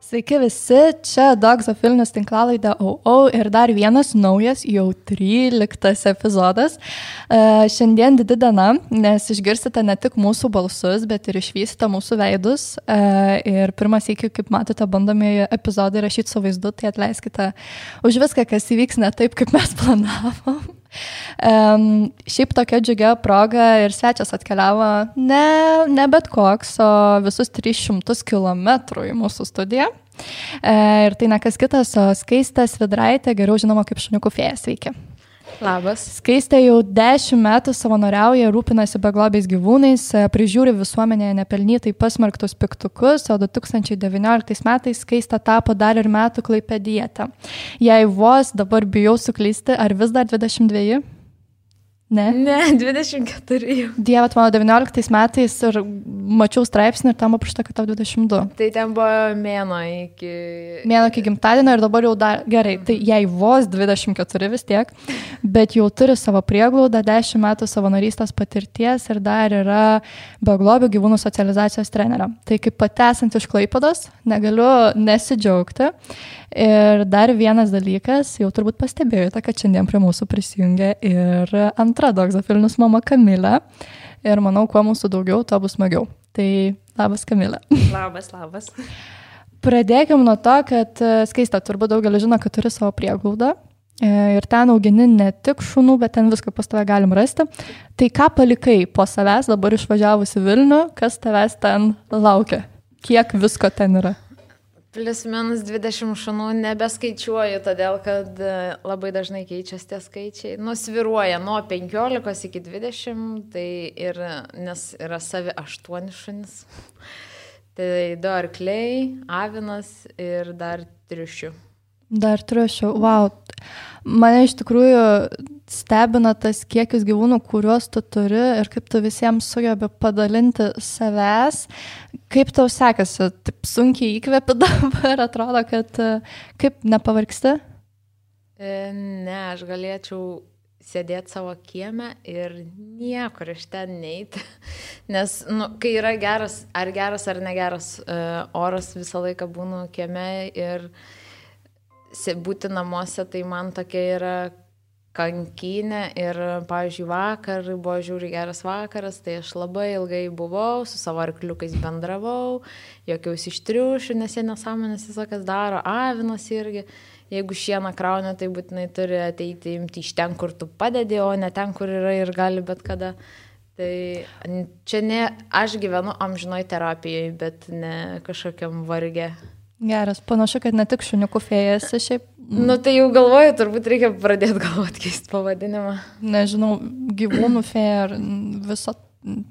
Sveiki visi, čia Dogzofilinės tinklalaidė OO ir dar vienas naujas, jau 13 epizodas. Šiandien didi diena, nes išgirsite ne tik mūsų balsus, bet ir išvysite mūsų veidus. Ir pirmas iki, kaip matote, bandomieji epizodai rašyti su vaizdu, tai atleiskite už viską, kas įvyks ne taip, kaip mes planavom. Šiaip tokia džiugia proga ir svečias atkeliavo ne bet koks, o visus 300 kilometrų į mūsų studiją. Ir tai ne kas kitas, o Skaistė Svidraitė, geriau žinoma kaip šuniukų fėja. Sveiki. Labas. Skaistė jau 10 metų savanoriauja, rūpinasi beglobiais gyvūnais, prižiūri visuomenėje nepelnytai pasmerktus piktukus, o 2019 metais Skaistė tapo dar ir metų klaipėdietė. Jei vos dabar bijau suklysti, ar vis dar 22? Ne, 24 jau. Dieve, mano 19 metais ir mačiau straipsnį ir tam aprašta, kad tau 22. Tai ten buvo mėno iki gimtadienio ir dabar jau dar gerai. Tai jei vos 24 vis tiek, bet jau turi savo prieglaudą, 10 metų savanorystės patirties ir dar yra beglobių gyvūnų socializacijos trenerė. Tai kaip pati esant iš Klaipėdos, negaliu nesidžiaugti. Ir dar vienas dalykas, jau turbūt pastebėjote, kad šiandien prie mūsų prisijungia ir antra Dogzofilinės mama Kamilė. Ir manau, kuo mūsų daugiau, to bus smagiau. Tai labas Kamilė. Labas. Pradėkim nuo to, kad Skaistė, turbūt daugelis žino, kad turi savo prieglaudą. Ir ten augini ne tik šunų, bet ten viską pas tave galim rasti. Tai ką palikai po savęs, dabar išvažiavus į Vilnių, kas tavęs ten laukia? Kiek visko ten yra? Plius minus 20 šunų nebeskaičiuoju, todėl kad labai dažnai keičiasi tie skaičiai. Sviruoja nuo 15 iki 20, tai ir, nes yra savi 8 šunis. Tai 2 arkliai, avinas ir dar triušių. Dar triušių, wow. Mane iš tikrųjų stebina tas kiekis gyvūnų, kuriuos tu turi ir kaip tu visiems sugebi padalinti savęs. Kaip tau sekasi? Taip sunkiai įkvepi dabar, atrodo, kad kaip nepavargsti? Ne, aš galėčiau sėdėti savo kieme ir niekur iš ten neiti. Nes, kai yra geras ar negeras oras, visą laiką būnu kieme ir būti namuose, tai man tokia yra kankynė ir, pavyzdžiui, vakar buvo žiūri geras vakaras, tai aš labai ilgai buvau, su savo arkliukais bendravau, jokiausi iš triušių, nes jie nesąmonės visokas daro, avinas irgi, jeigu šieną krauna, tai būtinai turi ateiti imti iš ten, kur tu padedi, o ne ten, kur yra ir gali bet kada. Tai čia ne, aš gyvenu amžinoj terapijai, bet ne kažkokiam varge. Geras, panašu, kad ne tik šuniukų fėja esi šiaip. Tai jau galvoju, turbūt reikia pradėti galvoti keisti pavadinimą. Nežinau, gyvūnų fėja ar viso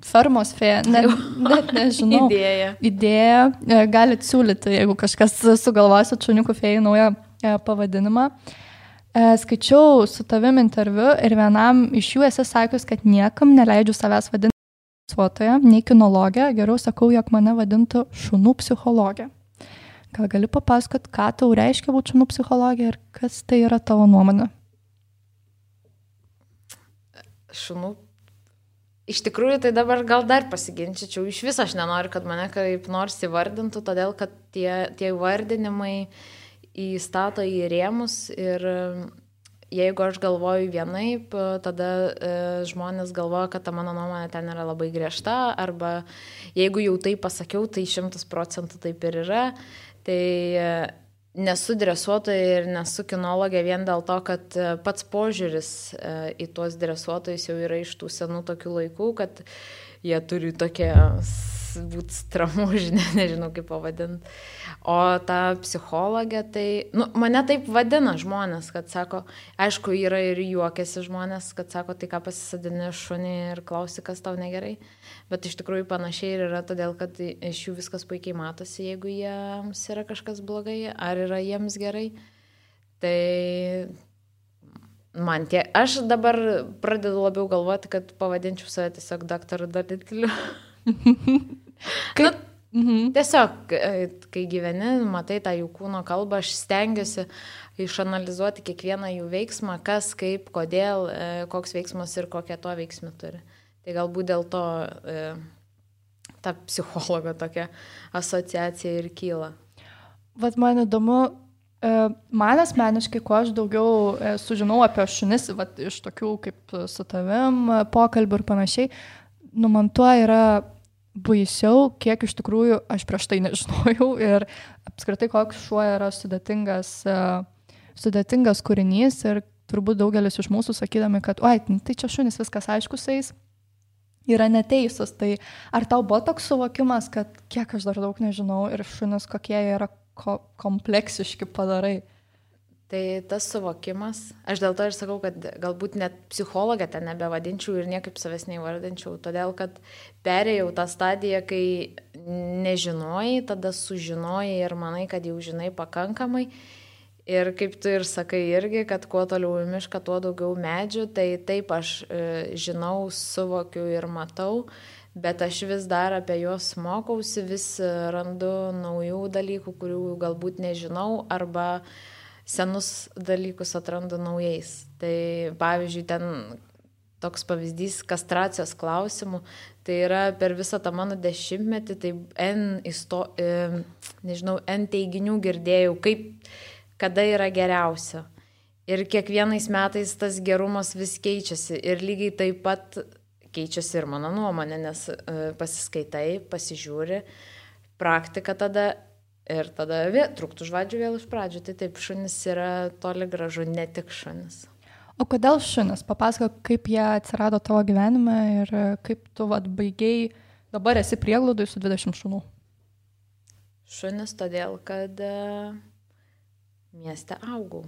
fermos fėja, net nežinau. Idėja. Galit siūlyti, jeigu kažkas sugalvosit šuniukų fėjai naują pavadinimą. Skaičiau su tavim interviu ir vienam iš jų esi sakius, kad niekam neleidžiu savęs vadinti dresuotoja, nei kinologė, geriau sakau, jog mane vadintų šunų psichologė. Gal gali papasakot, ką tau reiškia būti šunų psichologija ir kas tai yra tavo nuomonė? Šunų. Iš tikrųjų, tai dabar gal dar pasiginčičiau. Iš viso aš nenoriu, kad mane kaip nors įvardintų, todėl kad tie vardinimai įstato į rėmus ir jeigu aš galvoju vienaip, tada žmonės galvoja, kad ta mano nuomonė ten yra labai griežta, arba jeigu jau tai pasakiau, tai 100% taip ir yra. Tai nesu dresuotoja ir nesu kinologė vien dėl to, kad pats požiūris į tuos dresuotojus jau yra iš tų senų tokių laikų, kad jie turi tokie būti stramužinė, nežinau kaip pavadinti. O ta psichologė, tai, mane taip vadina žmonės, kad sako, aišku, yra ir juokiasi žmonės, kad sako, tai ką pasisadini šunį ir klausi, kas tau negerai. Bet iš tikrųjų panašiai ir yra, todėl kad iš jų viskas puikiai matosi, jeigu jiems yra kažkas blogai, ar yra jiems gerai. Tai aš dabar pradedu labiau galvoti, kad pavadinčiau save tiesiog daktaru Dalikliu. Tiesiog, kai gyveni, matai tą jų kūno kalbą, aš stengiuosi išanalizuoti kiekvieną jų veiksmą, kas, kaip, kodėl, koks veiksmas ir kokią to veiksmą turi. Tai galbūt dėl to ta psichologo tokia asociacija ir kyla. vat man įdomu, man asmeniškai, kuo aš daugiau sužinau apie šunis, vat iš tokių kaip su tavim pokalbių ir panašiai, nu man tuo yra baisiau, kiek iš tikrųjų aš prieš tai nežinojau ir apskritai koks šuo yra sudėtingas kūrinys ir turbūt daugelis iš mūsų sakydami, kad oi, tai čia šunis viskas aišku su jais, yra neteisūs. Tai ar tau buvo toks suvokimas, kad kiek aš dar daug nežinau ir šunis kokie yra kompleksiški padarai? Tai tas suvokimas, aš dėl to ir sakau, kad galbūt net psichologę ten nebevadinčiau ir niekaip savęs neįvardinčiau, todėl kad perėjau tą stadiją, kai nežinojai, tada sužinojai ir manai, kad jau žinai pakankamai. Ir kaip tu ir sakai irgi, kad kuo toliau į mišką, tuo daugiau medžių, tai taip aš žinau, suvokiu ir matau, bet aš vis dar apie juos mokausi, vis randu naujų dalykų, kurių galbūt nežinau, arba senus dalykus atrandu naujais. Tai pavyzdžiui, ten toks pavyzdys kastracijos klausimų, tai yra per visą tą mano 10-metį, tai N teiginių girdėjau, kada yra geriausia. Ir kiekvienais metais tas gerumas vis keičiasi ir lygiai taip pat keičiasi ir mano nuomonė, nes pasiskaitai, pasižiūri, praktika tada ir tada truktų žvadžių vėl iš pradžių. Tai taip, šunis yra toli gražu ne tik šunis. O kodėl šunis? Papasakok, kaip jie atsirado tavo gyvenime ir kaip tu baigiai, dabar esi prieglaudoj su 20 šunų. Šunis todėl, kad mieste augau.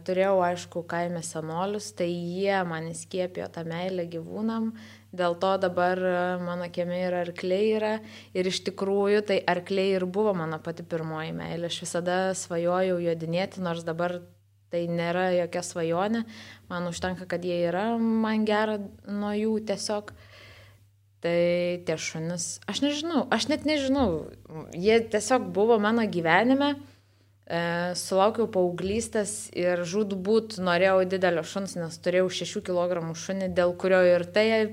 Turėjau, aišku, kaime senolius, tai jie man įskiepijo tą meilę gyvūnam, dėl to dabar mano kieme ir arkliai yra ir iš tikrųjų tai arkliai ir buvo mano pati pirmoji meilė. Aš visada svajojau jodinėti, nors dabar tai nėra jokia svajonė, man užtenka, kad jie yra, man gera nuo jų tiesiog. Tai tie šunis, aš net nežinau, jie tiesiog buvo mano gyvenime. Sulaukiau paauglystės ir žūtbūt norėjau didelio šuns, nes turėjau 6 kg šunį, dėl kurio ir tai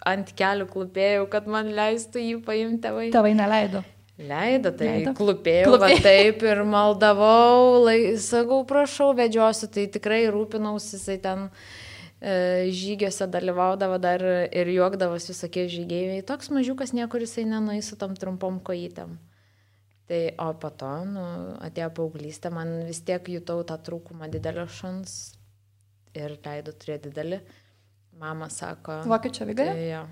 ant kelių klupėjau, kad man leistų jį paimti tėvai. Tėvai neleido. Leido, klupėjau, taip ir maldavau, sakau, prašau, vedžiosiu, tai tikrai rūpinausi, jisai ten žygiuose dalyvaudavo dar ir juokdavosi visokie žygeiviai. Toks mažiukas niekur jisai nenueis su tom trumpom kojytėm. Tai, o po to, atėjo paauglystė, man vis tiek jutau tą trūkumą didelio šuns ir leido turėti didelį. Mama sako... Vokiečių avigarį? Jo.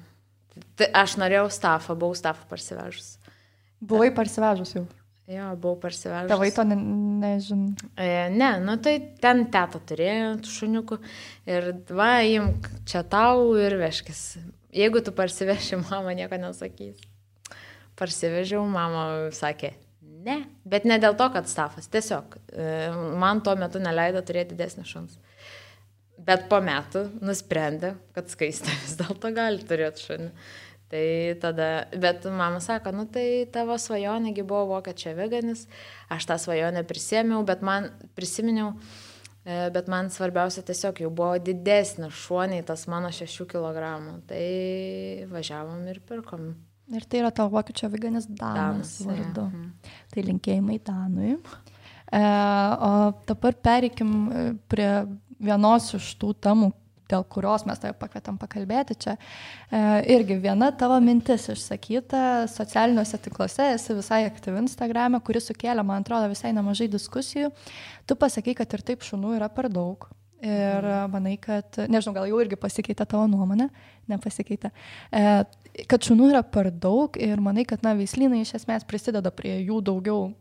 Tai aš norėjau stafą, buvau stafą parsivežus. Buvai parsivežus jau? Jo, buvau parsivežus. Tėvai to nežinau. Ne, tai ten teta turėjo šuniukų ir imk čia tau ir vežkis. Jeigu tu parsiveši, mama nieko nesakys. Parsivežiau, mama sakė, ne, bet ne dėl to, kad stafas, tiesiog man tuo metu neleido turėti didesnį šuns. Bet po metų nusprendė, kad Skaistė vis dėlto gali turėti šunį. Tai tada, bet mama sako, tai tavo svajonėgi buvo vokiečių aviganis, aš tą svajonę prisiminiau, bet man svarbiausia tiesiog jau buvo didesnis šuoniai tas mano 6 kg. Tai važiavom ir pirkom. Ir tai yra tavo vokiečių aviganis Danas vardu. Tai linkėjimai Danui. O dabar pereikim prie vienos iš tų temų, dėl kurios mes tave pakvietėm pakalbėti čia. Irgi viena tavo mintis išsakyta socialiniuose tinkluose, esi visai aktyvi Instagrame, kuris sukėlė, man atrodo, visai nemažai diskusijų. Tu pasakai, kad ir taip šunų yra per daug. Ir manai, kad, nežinau, gal jau irgi pasikeitė tavo nuomonė, nepasikeitė, kad šunų yra per daug ir manai, kad veislynai iš esmės prisideda prie jų daugiau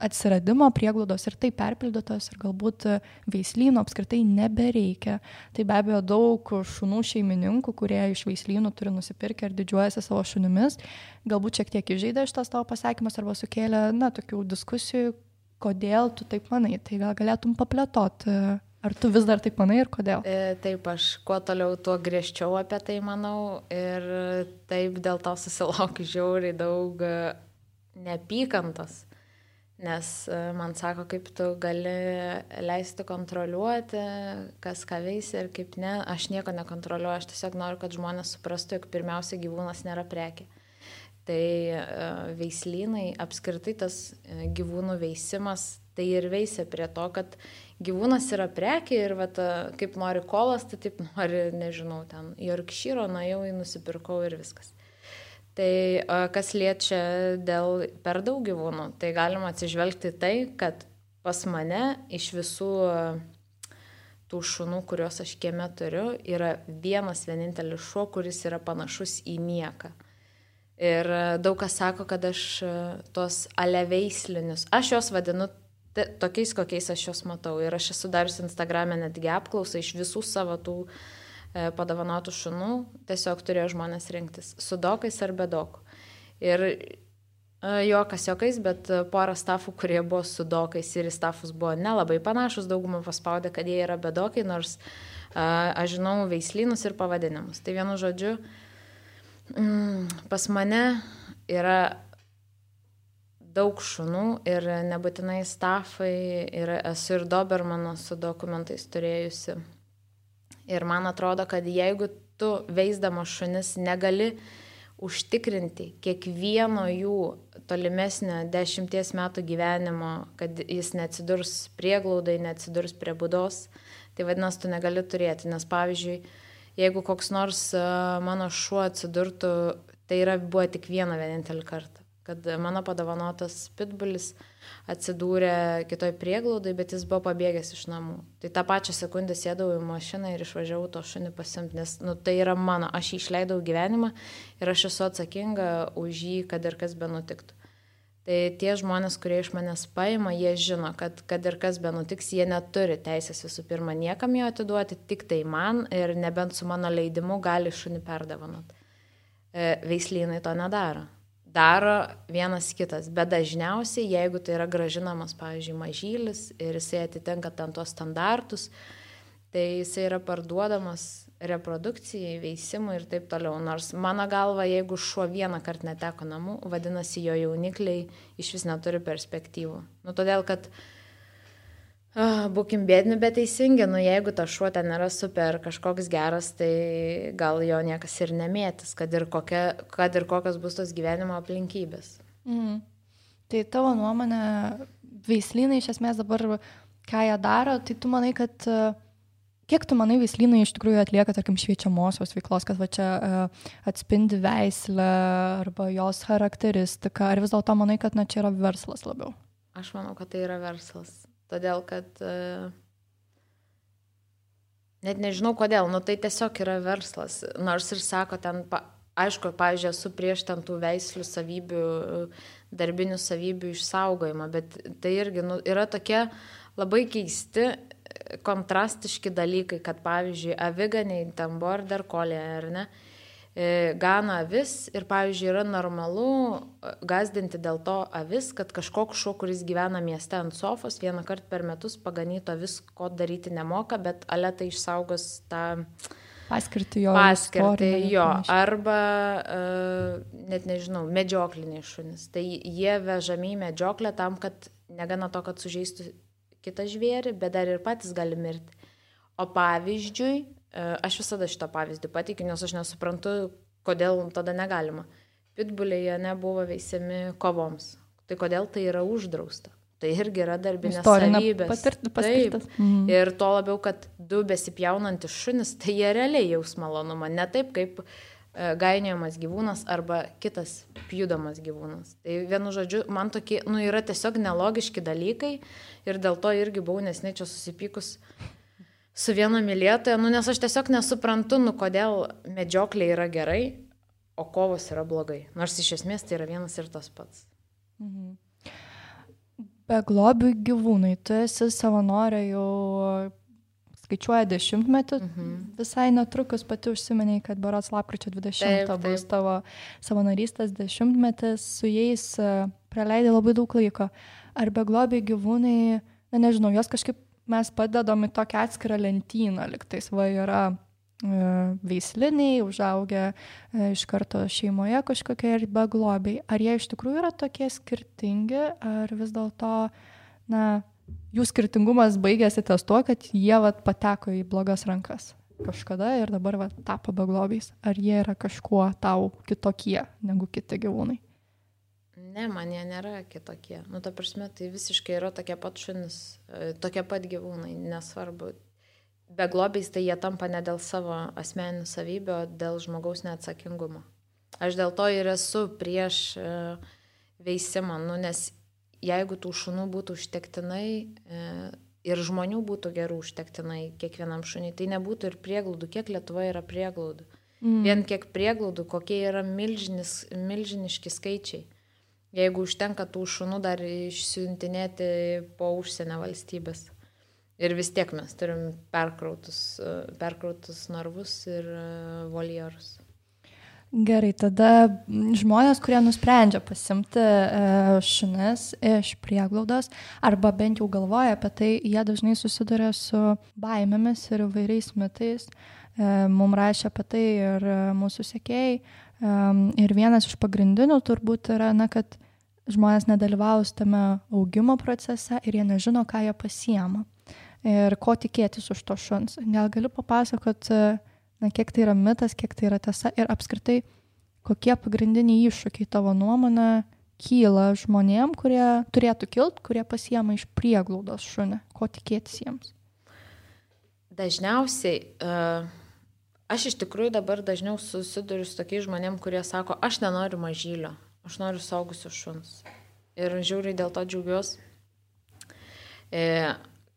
atsiradimo, prieglaudos ir tai perpildytos ir galbūt veislyno apskritai nebereikia. Tai be abejo daug šunų šeimininkų, kurie iš veislynų turi nusipirkę ir didžiuojasi savo šunimis, galbūt šiek tiek įžeidė šitas tavo pasakymas arba sukėlė, tokių diskusijų, kodėl tu taip manai. Tai gal galėtum paplėtoti. Ar tu vis dar taip manai ir kodėl? Taip, aš kuo toliau, tuo griežčiau apie tai manau ir taip dėl to susilaukiu žiauriai daug neapykantos, nes man sako, kaip tu gali leisti kontroliuoti, kas ką veisia ir kaip ne. Aš nieko nekontroliuoju, aš tiesiog noriu, kad žmonės suprastų, jog pirmiausia gyvūnas nėra prekė. Tai veislynai, apskritai tas gyvūnų veisimas, tai ir veisia prie to, kad gyvūnas yra prekė ir vat, kaip nori kolas, tai taip nori, nežinau, ten Yorkšyro, nuėjau į nusipirkau ir viskas. Tai kas liečia dėl per daug gyvūnų, tai galima atsižvelgti tai, kad pas mane iš visų tų šunų, kuriuos aš kieme turiu, yra vienas vienintelis šuo, kuris yra panašus į Mieką. Ir daug kas sako, kad aš tos aleveislinius, aš juos vadinu tokiais, kokiais aš juos matau. Ir aš esu dariusi Instagram'e netgi apklausą iš visų savo tų padovanotų šunų, tiesiog turėjo žmonės rinktis su dokais ar be dokų. Ir juokas juokais, bet porą stafų, kurie buvo su dokais ir į stafus buvo nelabai panašus, daugumą paspaudė, kad jie yra be dokai, nors aš žinau veislynus ir pavadinimus. Tai vienu žodžiu, pas mane yra daug šunų ir nebūtinai stafai, ir esu ir dobermano su dokumentais turėjusi. Ir man atrodo, kad jeigu tu veisdama šunis negali užtikrinti kiekvieno jų tolimesnio 10 metų gyvenimo, kad jis neatsidurs prieglaudai, neatsidurs prie būdos, tai vadinasi, tu negali turėti. Nes pavyzdžiui, jeigu koks nors mano šuo atsidurtų, tai buvo tik vienintelį kartą, kad mano padovanotas pitbulis atsidūrė kitoj prieglaudai, bet jis buvo pabėgęs iš namų. Tai tą pačią sekundę sėdau į mašiną ir išvažiavau to šunį pasimti, nes tai yra mano, aš jį išleidau gyvenimą ir aš esu atsakinga už jį, kad ir kas benutiktų. Tai tie žmonės, kurie iš manęs paima, jie žino, kad ir kas benutiks, jie neturi teisės visų pirma niekam jo atiduoti, tik tai man ir nebent su mano leidimu gali šunį perdovanoti. Veislynai to nedaro. Daro vienas kitas, bet dažniausiai, jeigu tai yra gražinamas, pavyzdžiui, mažylis ir jisai atitinka ten tuos standartus, tai jisai yra parduodamas reprodukcijai, veisimui ir taip toliau. Nors mano galva, jeigu šuo vieną kartą neteko namų, vadinasi, jo jaunikliai iš vis neturi perspektyvų. Todėl, kad būkim bėdni, bet teisingi, jeigu ta šuo ten yra super kažkoks geras, tai gal jo niekas ir nemėtis, kad ir kokios bus tos gyvenimo aplinkybės. Tai tavo nuomonė, veislynai iš esmės dabar, ką jie daro, tai tu manai, kad kiek tu manai veislynai iš tikrųjų atlieka, tarkim, šviečiamosios veiklos, kad va čia atspindi veislę arba jos charakteristiką, ar vis dėlto manai, kad čia yra verslas labiau? Aš manau, kad tai yra verslas. Todėl, kad net nežinau kodėl, tai tiesiog yra verslas. Nors ir sako ten, aišku, pavyzdžiui, esu prieš ten tų veislių savybių, darbinių savybių išsaugojimą, bet tai irgi yra tokie labai keisti, kontrastiški dalykai, kad pavyzdžiui, aviganiai, ten border collie, ar ne, gana avis ir, pavyzdžiui, yra normalu gazdinti dėl to avis, kad kažkoks šuo, kuris gyvena mieste ant sofos, vieną kartą per metus paganyto avis, ko daryti nemoka, bet aletai išsaugos tą paskirtį jo. Arba, net nežinau, medžiokliniai šunys. Tai jie vežami į medžioklę tam, kad negana to, kad sužeistų kitą žvėrį, bet dar ir patys gali mirti. O pavyzdžiui, aš visada šitą pavyzdį pateikiu, nes aš nesuprantu, kodėl tada negalima. Pitbuliai nebuvo veisiami kovoms. Tai kodėl tai yra uždrausta? Tai irgi yra darbinės savybės. Taip. Ir to labiau, kad du besipjaunantis šunis, tai jie realiai jaus malonumą. Ne taip, kaip gainiojamas gyvūnas arba kitas pjudomas gyvūnas. Tai vienu žodžiu, man tokie, yra tiesiog nelogiški dalykai ir dėl to irgi buvau nesnei čia susipykus su viena mylėtoja, nes aš tiesiog nesuprantu, kodėl medžioklė yra gerai, o kovos yra blogai. Nors iš esmės tai yra vienas ir tas pats. Beglobių gyvūnai, tu esi savanorė jau skaičiuoja 10-metį, visai netrukus pati užsimeniai, kad berods lapkričio 20 bus tavo savanorystės 10-metis, su jais praleidai labai daug laiko. Ar beglobiai gyvūnai, nežinau, jos kažkaip mes padedam į tokią atskirą lentyną, liktais yra veisliniai, užaugę iš karto šeimoje kažkokie ir beglobiai. Ar jie iš tikrųjų yra tokie skirtingi, ar vis dėlto, jų skirtingumas baigėsi ties tuo, kad jie pateko į blogas rankas? kažkada ir dabar tapo beglobiais? Ar jie yra kažkuo tau kitokie negu kiti gyvūnai? Ne, man jie nėra kitokie. Ta prasme, tai visiškai yra tokie pat šunis, tokie pat gyvūnai, nesvarbu. Beglobiais tai jie tampa ne dėl savo asmeninių savybių, o dėl žmogaus neatsakingumo. Aš dėl to ir esu prieš veisimą, nes jeigu tų šunų būtų užtektinai ir žmonių būtų gerų užtektinai kiekvienam šuniui, tai nebūtų ir prieglaudų. Kiek Lietuvoje yra prieglaudų? Vien kiek prieglaudų, kokie yra milžiniški skaičiai. Jeigu užtenka tų šunų dar išsiuntinėti po užsienio valstybės. Ir vis tiek mes turim perkrautus narvus ir voljerus. Gerai, tada žmonės, kurie nusprendžia pasimti šunis iš prieglaudos, arba bent jau galvoja apie tai, jie dažnai susiduria su baimėmis ir įvairiais mitais. Mums rašė apie tai ir mūsų sekėjai. Ir vienas iš pagrindinių turbūt yra, kad žmonės nedalyvaus tame augimo procese ir jie nežino, ką jie pasiema. Ir ko tikėtis už to šuns. Gal galiu papasakot, kiek tai yra mitas, kiek tai yra tiesa ir apskritai, kokie pagrindiniai iššūkiai tavo nuomonė kyla žmonėm, kurie turėtų kilt, kurie pasiema iš prieglaudos šunį. Ko tikėtis jiems? Dažniausiai, aš iš tikrųjų dabar dažniau susiduriu su tokiais žmonėm, kurie sako, aš nenoriu mažylio, aš noriu suaugusio šuns. Ir žiūriu, dėl to džiaugiuosi.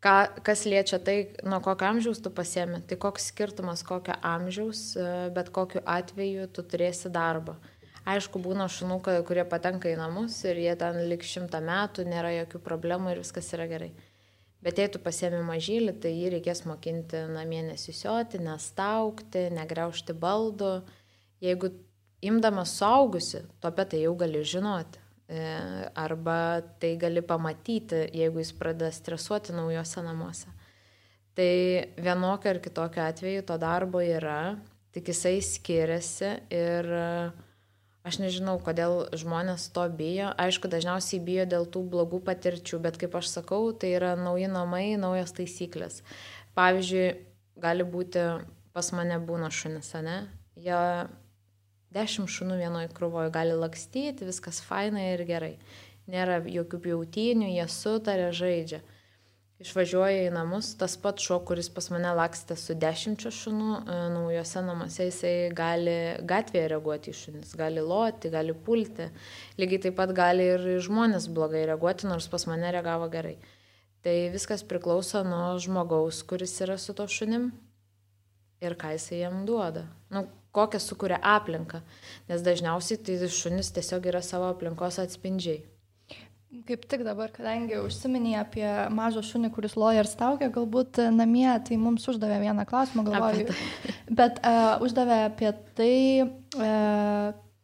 Kas liečia tai, nuo kokio amžiaus tu pasiemi, tai koks skirtumas kokio amžiaus, bet kokiu atveju tu turėsi darbą. Aišku, būna šunų, kurie patenka į namus ir jie ten lik 100 metų, nėra jokių problemų ir viskas yra gerai. Bet jei tu pasiemi mažylį, tai jį reikės mokinti namie nesisioti, nestaukti, negriaužti baldų. Jeigu imdamas suaugusi, tu apie tai jau gali žinoti. Arba tai gali pamatyti, jeigu jis pradeda stresuoti naujose namuose. Tai vienokio ar kitokio atveju to darbo yra, tik jisai skiriasi ir aš nežinau, kodėl žmonės to bijo. Aišku, dažniausiai bijo dėl tų blogų patirčių, bet kaip aš sakau, tai yra nauji namai, naujos taisyklės. Pavyzdžiui, gali būti, pas mane būna šunis, ne? Jie 10 šunų vienoje krūvoje gali lakstyti, viskas fainai ir gerai. Nėra jokių pjautynių, jie sutarė, žaidžia. Išvažiuoja į namus, tas pats šuo, kuris pas mane lakstė su 10 šunų, naujose namuose jisai gali gatvėje reaguoti į šunis, gali loti, gali pulti. Lygiai taip pat gali ir žmonės blogai reaguoti, nors pas mane reagavo gerai. Tai viskas priklauso nuo žmogaus, kuris yra su to šunim ir ką jisai jam duoda. Kokią sukuria aplinką, nes dažniausiai tai šunis tiesiog yra savo aplinkos atspindžiai. Kaip tik dabar, kadangi užsiminė apie mažą šunį, kuris loja ir staugia, galbūt namie, tai mums uždavė vieną klausimą, galvoju, bet uždavė apie tai,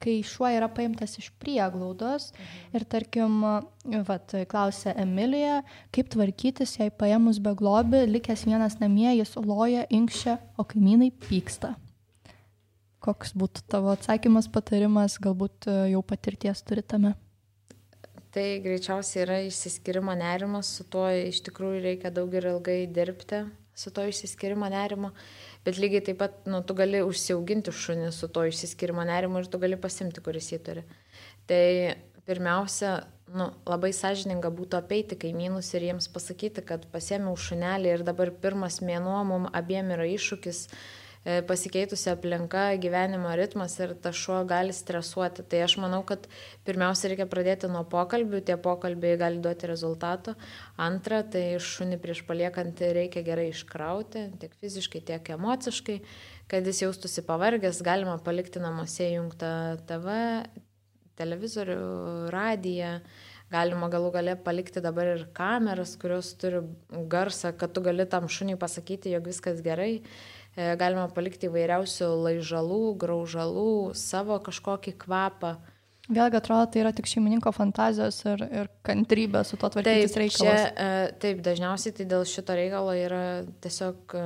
kai šuo yra paimtas iš prieglaudos ir tarkim, klausė Emilija, kaip tvarkytis, jei paėmus beglobį, likęs vienas namie, jis loja, inkščia, o kaimynai pyksta. Koks būtų tavo atsakymas, patarimas, galbūt jau patirties turi tame? Tai greičiausiai yra išsiskyrimo nerimas, su tuo iš tikrųjų reikia daug ir ilgai dirbti, su to išsiskyrimo nerimo, bet lygiai taip pat tu gali užsiauginti šunį su to išsiskyrimo nerimo ir tu gali pasimti, kuris jį turi. Tai pirmiausia, labai sąžininga būtų apeiti kaimynus ir jiems pasakyti, kad pasiėmiau šunelį ir dabar pirmas mėnuo mums abiem yra iššūkis, pasikeitusi aplinka, gyvenimo ritmas ir ta šuo gali stresuoti. Tai aš manau, kad pirmiausia reikia pradėti nuo pokalbių, tie pokalbiai gali duoti rezultatų. Antra, tai šunį prieš paliekant reikia gerai iškrauti, tiek fiziškai, tiek emociškai, kad jis jaustųsi pavargęs, galima palikti namuose įjungtą TV, televizorių, radiją. Galima galų gale palikti dabar ir kameras, kurios turi garsą, kad tu gali tam šuniui pasakyti, jog viskas gerai. Galima palikti įvairiausių laižalų, graužalų, savo kažkokį kvapą. Vėlgi atrodo, tai yra tik šeimininko fantazijos ir kantrybė su to tvarkytis reikalas. Taip, dažniausiai tai dėl šito reikalo yra tiesiog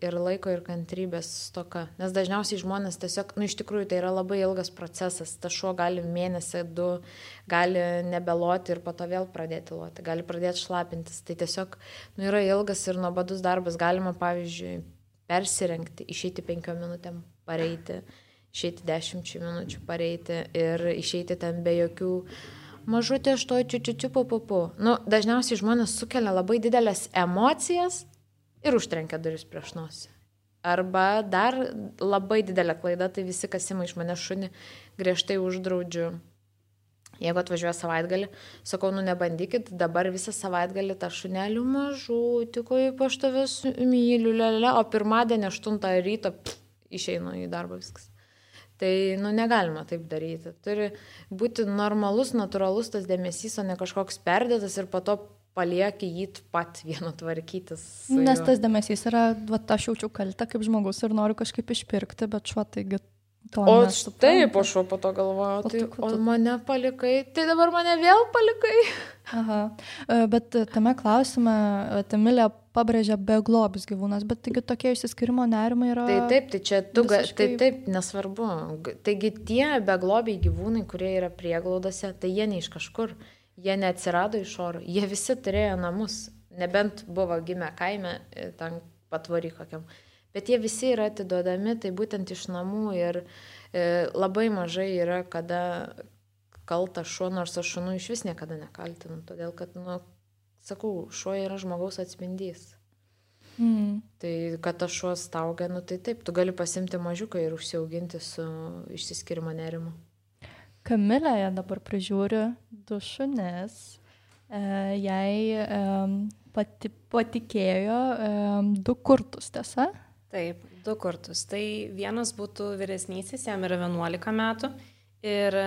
ir laiko, ir kantrybės stoka. Nes dažniausiai žmonės tiesiog, iš tikrųjų tai yra labai ilgas procesas. Tas šuo gali mėnesį, 2, gali nebeloti ir po to vėl pradėti loti, gali pradėti šlapintis. Tai tiesiog yra ilgas ir nuobodus darbas. Galima, pavyzdžiui, persirengti, išeiti 5 minutėm pareiti, išeiti 10 minučių pareiti ir išeiti ten be jokių mažutė aš to čiučiučiu papupu. Nu, dažniausiai žmonės sukelia labai didelės emocijas ir užtrenkia duris prieš nosį. Arba dar labai didelė klaida, tai visi, kas ima iš mane šunį, griežtai uždraudžiu. Jeigu atvažiuoja savaitgalį, sakau, nu nebandykit, dabar visą savaitgalį tą šunelių mažų, tik kaip aš tavęs myliu, lelele, o pirmadienį 8 ryto išeinu į darbą viskas. Tai, nu, negalima taip daryti. Turi būti normalus, natūralus tas dėmesys, o ne kažkoks perdėtas ir po to palieki jį pat vienu tvarkytis. Nes tas dėmesys yra, aš jaučiu kaltę kaip žmogus ir noriu kažkaip išpirkti, bet šuo taigi to nesupranta. O taip, o šuo po to galvoju, tai o mane palikai, tai dabar mane vėl palikai. Aha, bet tame klausime Emilija pabrėžia beglobius gyvūnas, bet taigi tokie išsiskirimo nerimai yra... Tai čia tu, taip, nesvarbu. Taigi tie beglobiai gyvūnai, kurie yra prieglaudose, tai jie ne iš kažkur. Jie neatsirado iš oro, jie visi turėjo namus, nebent buvo gimę kaime, ten patvory kokiam. Bet jie visi yra atiduodami, tai būtent iš namų ir labai mažai yra, kada kaltas šuo, nors aš šunų iš vis niekada nekaltinu, todėl kad, nu, sakau, šuo yra žmogaus atspindys. Tai kad tas šuo staugia, nu tai taip, tu gali pasimti mažiuką ir užsiauginti su išsiskirimo nerimu. Kamilė dabar prižiūri 2 šunis, jai patikėjo 2 kurtus, tiesa? Taip, 2 kurtus. Tai vienas būtų vyresnysis, jam yra 11 metų ir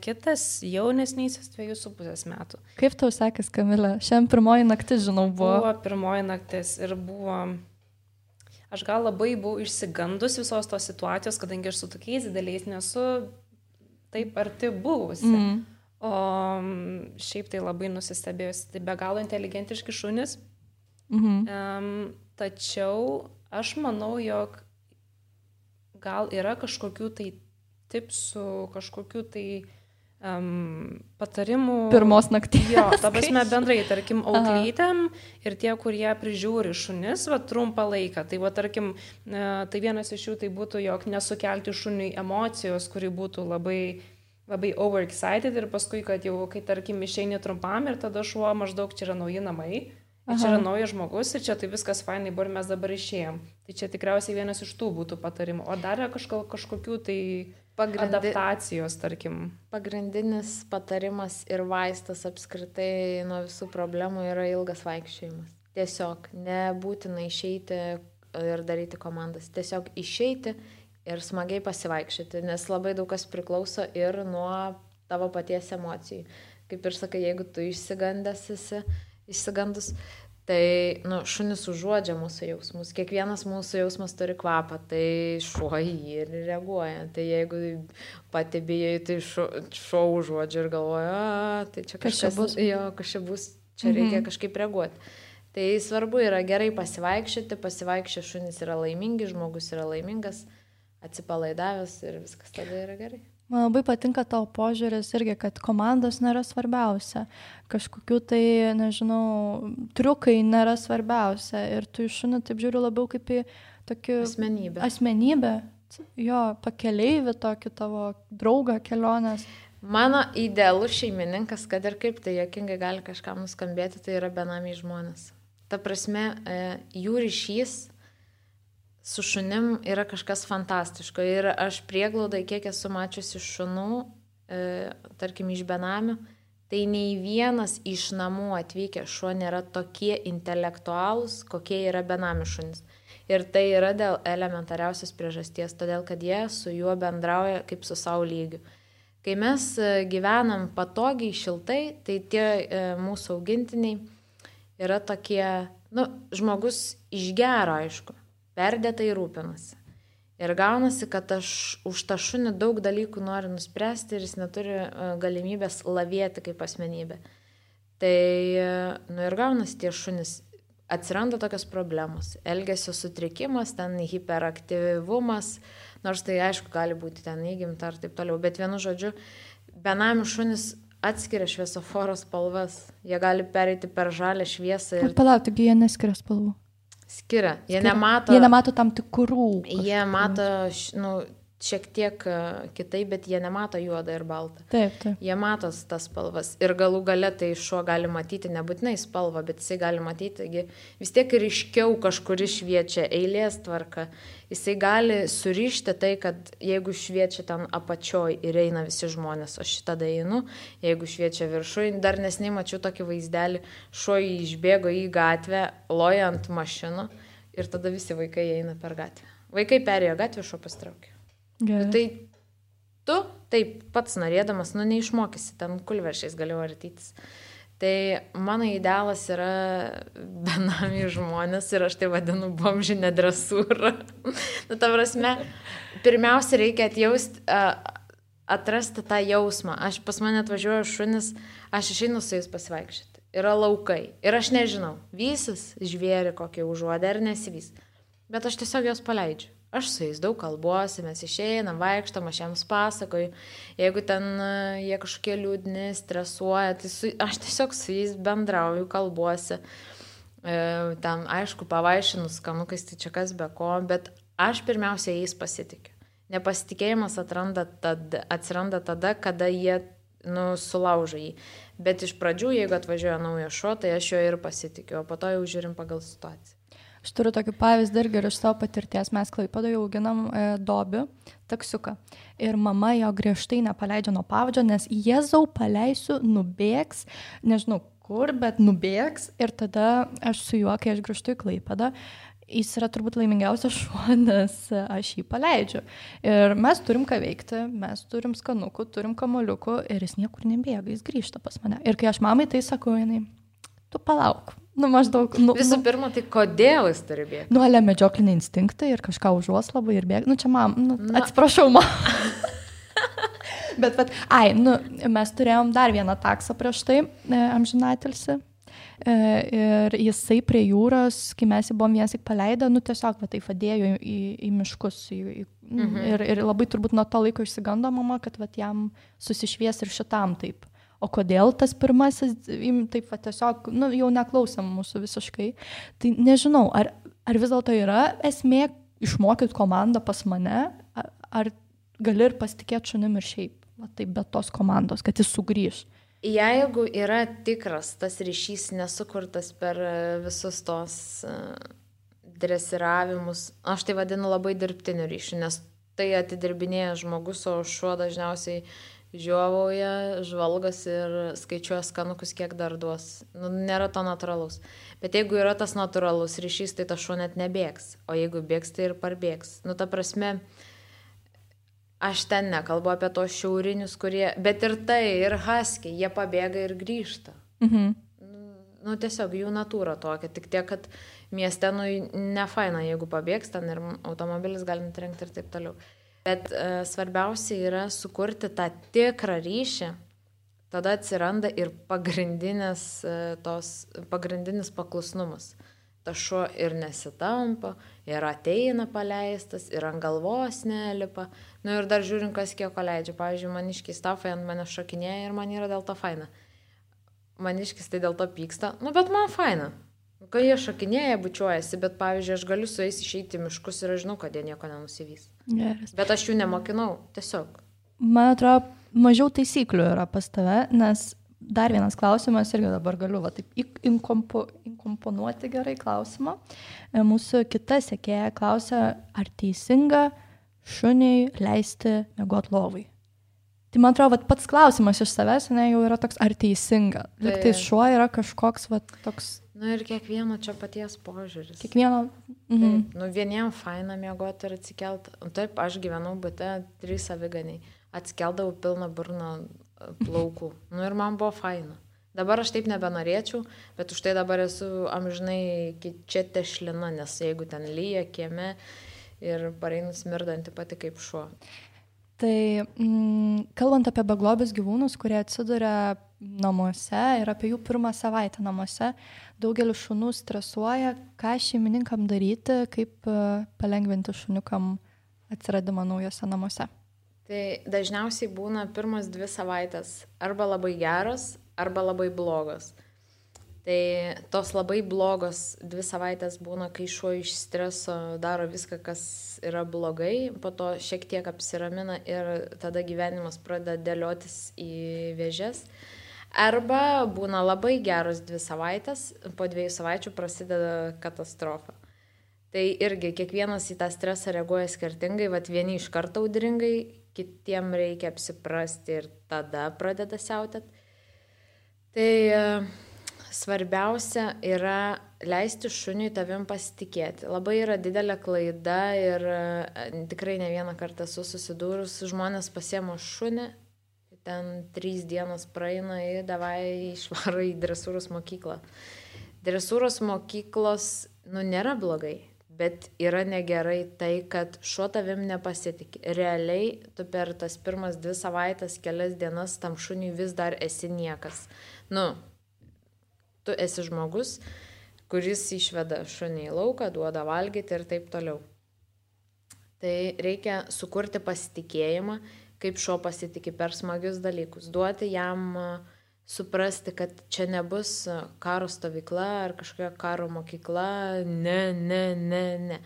kitas jaunesnysis 2,5 metų. Kaip tau sekės, Kamilė? Šiandien pirmoji naktis, žinau, buvo. Buvo pirmoji naktis ir buvo... Aš gal labai buvau išsigandus visos tos situacijos, kadangi aš su tokiais dideliais nesu taip arti buvusi. O šiaip tai labai nusistebėjusi. Tai be galo inteligentiški šunys. Tačiau aš manau, jog gal yra kažkokių tai tipsų, kažkokių tai patarimų. Pirmos nakties. Jo, ta prasme bendrai, tarkim, auklytėm ir tie, kurie prižiūri šunis, va, trumpą laiką. Tai, va, tarkim, tai vienas iš jų tai būtų, jog nesukelti šuniui emocijos, kuri būtų labai, labai overexcited ir paskui, kad jau, kai, tarkim, išeini trumpam ir tada šuo maždaug čia yra nauji namai, čia yra naujas žmogus ir čia tai viskas fainai buvo ir mes dabar išėjom. Tai čia tikriausiai vienas iš tų būtų patarimų. O dar yra kažkokių tai adaptacijos, tarkim. Pagrindinis patarimas ir vaistas apskritai nuo visų problemų yra ilgas vaikščiojimas. Tiesiog nebūtina išeiti ir daryti komandas. Tiesiog išeiti ir smagiai pasivaikščioti, nes labai daug kas priklauso ir nuo tavo paties emocijų. Kaip ir sakai, jeigu tu išsigandus, tai šunis užuodžia mūsų jausmus. Kiekvienas mūsų jausmas turi kvapą, tai šuo jį ir reaguoja. Tai jeigu pati bijai, tai šuo užuodžia ir galvoja, tai čia kažkas bus. Jo, kažkas bus, čia reikia kažkaip reaguoti. Tai svarbu yra gerai pasivaikščioti šunis yra laimingi, žmogus yra laimingas, atsipalaidavęs ir viskas tada yra gerai. Man labai patinka tavo požiūris irgi, kad komandos nėra svarbiausia. Kažkokių tai, nežinau, triukai nėra svarbiausia. Ir tu iš šunį taip žiūri labiau kaip į tokį... Asmenybę. Jo, pakeleivį tokį tavo draugą kelionės. Mano idealus šeimininkas, kad ir kaip tai juokingai gali kažkam nuskambėti, tai yra benamiai žmonės. Ta prasme, jų ryšys su šunim yra kažkas fantastiško. Ir aš prieglaudai, kiek esu mačiusi šunų, tarkim iš benamių, tai nei vienas iš namų atvykę šuo nėra tokie intelektualūs, kokie yra benamių šunis. Ir tai yra dėl elementariausios priežasties, todėl kad jie su juo bendrauja kaip su savo lygiu. Kai mes gyvenam patogiai, šiltai, tai tie mūsų augintiniai yra tokie, žmogus iš gero, aišku. Perdėtai rūpinasi. Ir gaunasi, kad aš už tą šunį daug dalykų noriu nuspręsti ir jis neturi galimybės lavėti kaip asmenybė. Tai, ir gaunasi tie šunys. Atsiranda tokios problemos. Elgesio sutrikimas, ten hiperaktyvumas, nors tai aišku gali būti ten įgimta ar taip toliau. Bet vienu žodžiu, benamių šunys atskiria šviesoforo spalvas. Jie gali pereiti per žalę šviesą. Ir... Palauk, taigi jie neskiria spalvų. skiria. Jie nemato tam tikrų. Jie mato, šiek tiek kitaip, bet jie nemato juodą ir baltą. Taip. Jie mato tas spalvas. Ir galų gale tai šuo gali matyti nebūtinai spalvą, bet jisai gali matyti, vis tiek ryškiau kažkur šviečia eilės tvarka. Jisai gali surišti tai, kad jeigu šviečia ten apačioj ir eina visi žmonės, aš tada einu, jeigu šviečia viršui, dar nesnei mačiau tokį vaizdelį, šuo išbėgo į gatvę, loja ant mašinų ir tada visi vaikai eina per gatvę. Vaikai perėjo gatvę, šuo pastraukė. Tai tu taip pats norėdamas, neišmokysi, ten kulveršiais gali vartytis. Tai mano idealas yra benami žmonės ir aš tai vadinu bomžinę dresūrą. Ta prasme, pirmiausia reikia atrasti tą jausmą. Pas mane atvažiuoja šunis, aš išeinu su jais pasivaikščioti. Yra laukai. Ir aš nežinau, vysis žvėri kokį užuodė ar nesivys. Bet aš tiesiog jos paleidžiu. Aš su jais daug kalbuosi, mes išeinam, vaikštam, aš jiems pasakoju. Jeigu ten jie kažkokie liūdni, stresuoja, tai aš tiesiog su jais bendrauju, kalbuosi. Ten, aišku, pavaišinu skanukais, tai čia kas be ko, bet aš pirmiausia jais pasitikiu. Nepasitikėjimas atsiranda tada, kada jie sulaužo jį. Bet iš pradžių, jeigu atvažiuoja naujas šuo, tai aš jo ir pasitikiu, o po to jau žiūrim pagal situaciją. Aš turiu tokį pavyzdį irgi iš savo patirties. Mes Klaipėdoje auginam Dobį, taksiuką. Ir mama jo griežtai nepaleidžia nuo pavadžio, nes Jėzau paleisiu, nubėgs, nežinau kur, bet nubėgs. Ir tada aš su juo, kai aš grįžtu į Klaipėdą, jis yra turbūt laimingiausias šuo, nes aš jį paleidžiu. Ir mes turim ką veikti, mes turim skanukų, turim kamuoliukų ir jis niekur nebėga, jis grįžta pas mane. Ir kai aš mamai tai sakau, jinai, tu palauk. Maždaug. Visų pirma, tai kodėl jis turi bėgti? Nuolia medžioklinį instinktą ir kažką užuos labai ir bėga. Čia atsiprašau, Bet, mes turėjom dar vieną taksą prieš tai, amžinatilsį. Ir jisai prie jūros, kai mes jį buvom vienas tik paleidę, tiesiog tai vadėjo į miškus. Ir labai turbūt nuo to laiko išsigando mama, kad jam susišvies ir šitam taip. O kodėl tas pirmasis, taip tiesiog, jau neklausom mūsų visiškai. Tai nežinau, ar vis dėlto yra esmė išmokyti komandą pas mane, ar gali ir pasitikėti šunim ir šiaip, taip, be tos komandos, kad jis sugrįž. Jeigu yra tikras tas ryšys nesukurtas per visus tos dresiravimus, aš tai vadinu labai dirbtiniu ryšiu, nes tai atidirbinėja žmogus, o šuo dažniausiai žiovauja, žvalgas ir skaičiuoja skanukus, kiek dar duos. Nėra to natūralaus. Bet jeigu yra tas natūralus ryšys, tai tas šuo net nebėgs. O jeigu bėgs, tai ir parbėgs. Ta prasme, aš ten nekalbu apie tos šiaurinius, kurie... Bet ir tai, ir husky, jie pabėga ir grįžta. Tiesiog jų natūra tokia. Tik tiek, kad mieste, nefaina, jeigu pabėgs, ten ir automobilis gali nutrenkti ir taip toliau. Bet svarbiausia yra sukurti tą tikrą ryšį, tada atsiranda ir pagrindinis paklusnumas. Ta šuo ir nesitampa, ir ateina paleistas, ir ant galvos nelipa. Ir dar žiūrim, kas kiek leidžia. Pavyzdžiui, maniškiai stafai ant mane šokinėja ir man yra dėl to faina. Maniškis tai dėl to pyksta, bet man faina. Kai jie šokinėja, bučiuojasi, bet pavyzdžiui, aš galiu su jais išeiti į miškus ir aš žinau, kad jie nieko nenusivys. Geras. Bet aš jų nemokinau, tiesiog. Man atrodo, mažiau taisyklių yra pas tave, nes dar vienas klausimas, irgi dabar galiu taip inkomponuoti gerai klausimą. Mūsų kita sekėja klausia, ar teisinga šuniai leisti miegoti lovai. Tai man atrodo, pats klausimas iš savęs jau yra toks, ar teisinga. Liktai šuo yra kažkoks toks... Ir kiekvieno čia paties požiūris. Kiekvieno... Taip, vieniem faina miegoti ir atsikelti. Taip, aš gyvenau bute 3 aviganiai. Atsikeldavau pilną burną plaukų. Ir man buvo faina. Dabar aš taip nebenorėčiau, bet už tai dabar esu amžinai čia tešlina, nes jeigu ten lyja kieme ir pareinu smirdanti pati kaip šuo. Tai kalbant apie beglobius gyvūnus, kurie atsiduria namuose ir apie jų pirmą savaitę namuose, daugelis šunų stresuoja, ką šeimininkam daryti, kaip palengvinti šuniukam atsiradimą naujose namuose. Tai dažniausiai būna pirmas 2 savaitės arba labai geros, arba labai blogos. Tai tos labai blogos 2 savaitės būna, kai šuo iš streso daro viską, kas yra blogai, po to šiek tiek apsiramina ir tada gyvenimas pradeda dėliotis į vėžes. Arba būna labai geros 2 savaitės, po 2 savaičių prasideda katastrofa. Tai irgi kiekvienas į tą stresą reaguoja skirtingai, vat vieni iš karto audringai, kitiem reikia apsiprasti ir tada pradeda siautėt. Tai svarbiausia yra leisti šuniui tavim pasitikėti. Labai yra didelė klaida ir tikrai ne vieną kartą esu susidūrus, žmonės pasiema šunį, ten 3 dienos praeina ir davai išvaro į dresūros mokyklą. Dresūros mokyklos, nėra blogai. Bet yra negerai tai, kad šuo tavim nepasitikė. Realiai, tu per tas pirmas 2 savaitės, kelias dienas tam šuniui vis dar esi niekas. Tu esi žmogus, kuris išveda šunį į lauką, duoda valgyti ir taip toliau. Tai reikia sukurti pasitikėjimą, kaip šuo pasitikė per smagius dalykus. Duoti jam suprasti, kad čia nebus karo stovykla ar kažkokia karo mokykla, ne.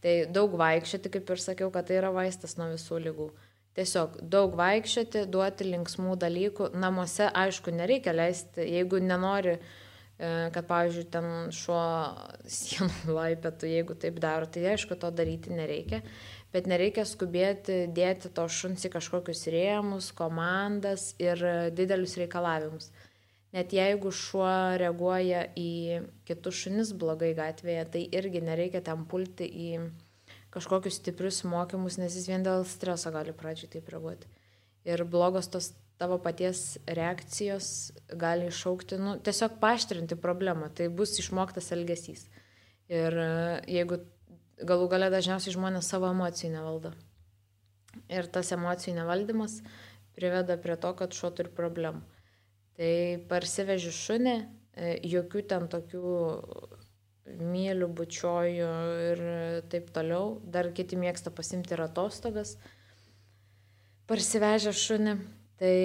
Tai daug vaikščioti, kaip ir sakiau, kad tai yra vaistas nuo visų ligų. Tiesiog daug vaikščioti, duoti linksmų dalykų. Namuose, aišku, nereikia leisti, jeigu nenori, kad, pavyzdžiui, ten šuo sienų laipėtų, jeigu taip daro, tai aišku, to daryti nereikia. Bet nereikia skubėti dėti to šuns į kažkokius rėmus, komandas ir didelius reikalavimus. Net jeigu šuo reaguoja į kitus šunis blogai gatvėje, tai irgi nereikia ten pulti į kažkokius stiprius mokymus, nes jis vien dėl streso gali pradžiai taip reaguoti. Ir blogos tos tavo paties reakcijos gali iššaukti, tiesiog paaštrinti problemą, tai bus išmoktas elgesys. Ir jeigu galų gale dažniausiai žmonės savo emocijų nevaldo. Ir tas emocijų nevaldymas priveda prie to, kad šuo turi problemų. Tai parsiveži šunį, jokių ten tokių mylių, bučioju ir taip toliau. Dar kiti mėgsta pasimti ir atostogas. Parsivežę šunį, tai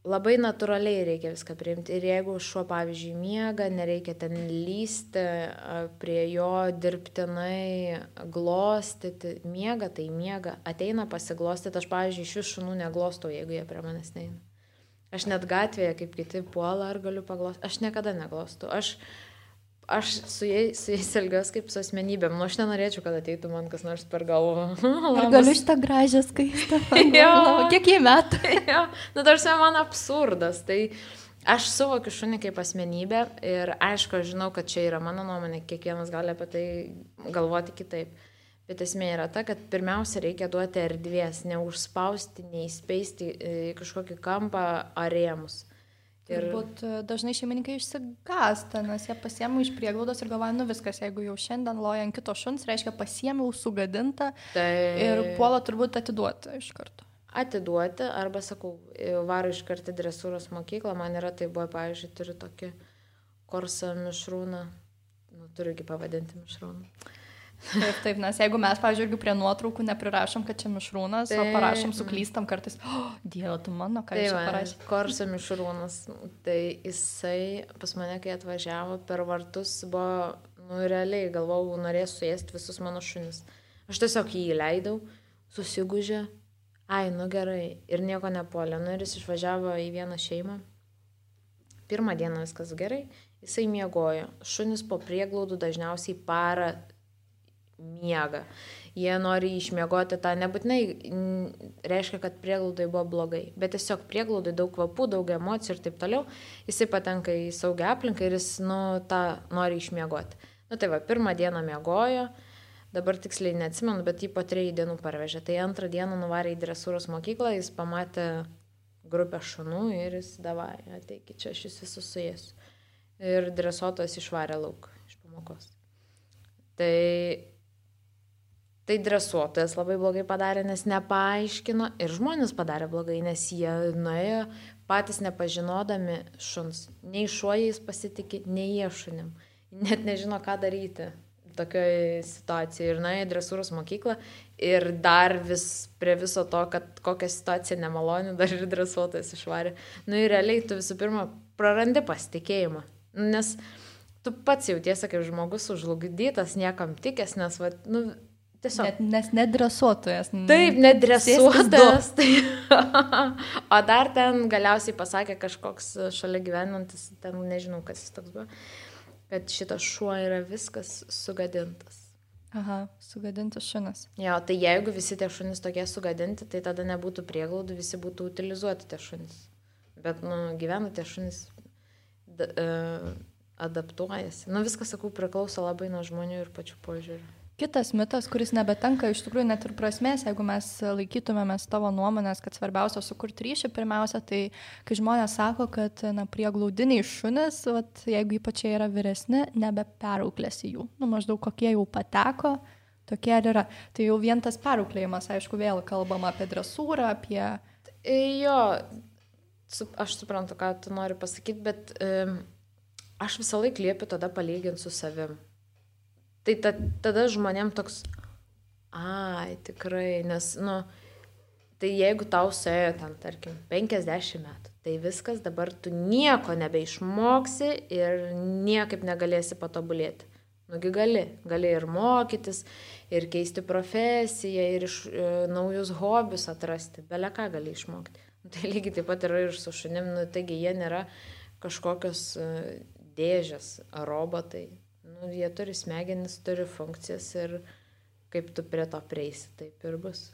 labai natūraliai reikia viską priimti. Ir jeigu šuo, pavyzdžiui, miega, nereikia ten lysti, prie jo dirbtinai glostyti. Miega, tai miega. Ateina pasiglostyti. Aš, pavyzdžiui, iš vis šunų neglostau, jeigu jie prie manęs neina. Aš net gatvėje, kaip kiti puola, ar galiu paglostyti. Aš niekada neglostau. Aš su jais elgiuosi kaip su asmenybėm. Aš nenorėčiau, kad ateitų man kas nors per galvą. Ar galiu šitą gražią skaistą? Kiek jie metų? Tarsi man absurdas. Tai aš suvokiu šunį kaip asmenybę ir aišku, aš žinau, kad čia yra mano nuomonė, kiekvienas gali apie tai galvoti kitaip. Bet esmė yra ta, kad pirmiausia reikia duoti erdvės, neužspausti, neįspeisti į kažkokį kampą ar rėmus. Turbūt dažnai šeimininkai išsigąsta, nes jie pasiėmė iš prieglaudos ir galvoja, viskas, jeigu jau šiandien loja ant kito šuns, reiškia pasiėmiau sugadintą ir puola turbūt atiduoti iš karto. Atiduoti, arba sakau, varo iš karto dresūros mokyklą, man yra tai buvo, pavyzdžiui, turiu tokį korsą mišrūną, turiu pavadinti mišrūną. Taip, nes jeigu mes, pavyzdžiui, irgi prie nuotraukų neprirašom, kad čia mišrūnas, o parašom, suklystam kartais, Dieve, tu mano, ką čia parašė. Korso mišrūnas, tai jisai pas mane, kai atvažiavo per vartus, buvo, realiai galvojau, norės suėsti visus mano šunis. Aš tiesiog jį įleidau, susigužė, gerai, ir nieko nepuolė. Ir jis išvažiavo į vieną šeimą. Pirmą dieną viskas gerai, jisai miegojo. Šunis po prieglaudų dažniausiai parą miega. Jie nori išmiegoti tą, nebūtinai reiškia, kad prieglaudai buvo blogai, bet tiesiog prieglaudai daug kvapų, daug emocijų ir taip toliau, jisai patenka į saugią aplinką ir jis, tą nori išmiegoti. Tai va, pirmą dieną miegojo, dabar tiksliai neatsimenu, bet jį po 3 dienų parvežė. Tai antrą dieną nuvarė į dresūros mokyklą, jis pamatė grupę šunų ir jis davai, ateikit čia, aš jūs visus suėsiu. Ir dresuotojas išvarė lauk iš pamokos. Tai dresuotojas labai blogai padarė, nes nepaaiškino ir žmonės padarė blogai, nes jie nuėjo patys nepažinodami šuns. Nei šuo jais pasitikė, nei jie šunim. Net nežino, ką daryti tokioje situacijoje. Ir nuėjo į dresūros mokyklą ir dar vis prie viso to, kad kokia situacija nemaloni, dar ir dresuotojas išvarė. Ir realiai tu visų pirma prarandi pasitikėjimą. Nes tu pats jautiesi kaip žmogus užlugdytas, niekam tikęs, nes, va, nu, tiesiog. Nes nedresuotojas. Taip, nedresuotojas. Tai... o dar ten galiausiai pasakė kažkoks šalia gyvenantis, ten nežinau, kas jis toks buvo, kad šitas šuo yra viskas sugadintas. Aha, sugadintas šunis. Jo, tai jeigu visi tie šunys tokie sugadinti, tai tada nebūtų prieglaudų, visi būtų utilizuoti tie šunys. Bet, nu, gyvena tie šunys adaptuojasi. Nu, viskas, sakau, priklauso labai nuo žmonių ir pačių požiūrių. Kitas mitas, kuris nebetenka iš tikrųjų net ir prasmės, jeigu mes laikytumėmės tavo nuomonės, kad svarbiausia sukurti ryšį, pirmiausia, tai kai žmonės sako, kad prieglaudiniai šunys, vat, jeigu ypač jie yra vyresni, nebeperauklėsi jų. Nu, maždaug kokie jau pateko, tokie ir yra. Tai jau vien tas perauklėjimas, aišku, vėl kalbama apie dresūrą, apie... Jo, aš suprantu, ką tu nori pasakyti, bet aš visą laiką liepiu tada palyginti su savim. Tai tada žmonėm toks, ai, tikrai, nes, nu, tai jeigu tau suėjo ten, tarkim, 50 metų, tai viskas, dabar tu nieko nebeišmoksi ir niekaip negalėsi patobulėti. Nugi gali ir mokytis, ir keisti profesiją, ir naujus hobius atrasti, bele ką gali išmokti. Tai lygiai taip pat yra ir su šunim, nu, taigi jie nėra kažkokios dėžės ar robotai. Nu, jie turi smegenis, turi funkcijas ir kaip tu prie to prieisi, taip ir bus.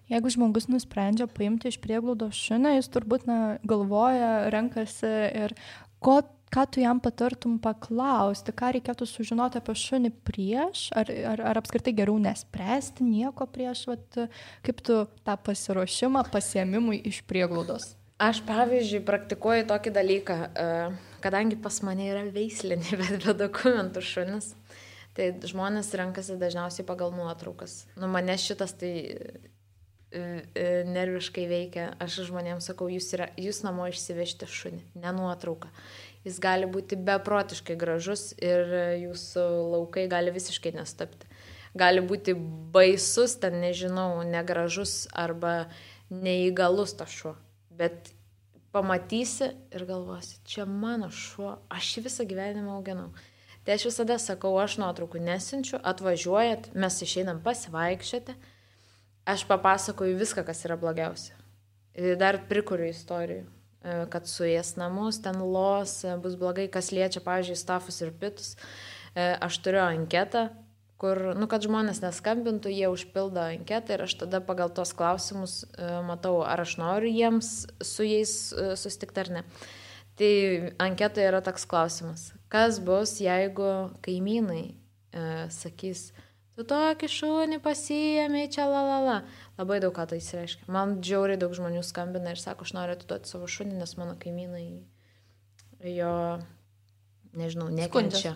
Jeigu žmogus nusprendžia paimti iš prieglaudos šunį, jis turbūt galvoja, renkasi ir ką tu jam patartum paklausti, ką reikėtų sužinoti apie šunį prieš, ar apskritai geriau nespręsti nieko prieš, vat, kaip tu tą pasiruošimą pasiėmimui iš prieglaudos? Aš, pavyzdžiui, praktikuoju tokį dalyką, kadangi pas mane yra veislinė, bet be dokumentų šunis, tai žmonės renkasi dažniausiai pagal nuotraukas. Nu, mane šitas tai nerviškai veikia. Aš žmonėms sakau, jūs namo išsivežti šunį, ne nuotrauką. Jis gali būti beprotiškai gražus ir jūsų laukai gali visiškai nestapti. Gali būti baisus, ten nežinau, negražus arba neįgalus tas šuo. Bet pamatysi ir galvosi, čia mano šuo, aš jį visą gyvenimą auginau. Tai aš visada sakau, aš nuotraukų nesinčiu, atvažiuojat, mes išeinam pasivaikščioti, aš papasakoju viską, kas yra blogiausia. Dar prikuriu istorijų, kad suės namus, ten los, bus blogai, kas liečia, pavyzdžiui, stafus ir pitus. Aš turiu anketą, kur, nu, kad žmonės neskambintų, jie užpildo anketą ir aš tada pagal tos klausimus matau, ar aš noriu jiems su jais susitikti ar ne. Tai anketoje yra toks klausimas. Kas bus, jeigu kaimynai sakys, tu tokį šunį pasiėmė, čia lalala. Labai daug ką tai reiškia. Man džiauriai daug žmonių skambina ir sako, aš noriu atiduoti savo šunį, nes mano kaimynai jo... Nežinau, nekenčia.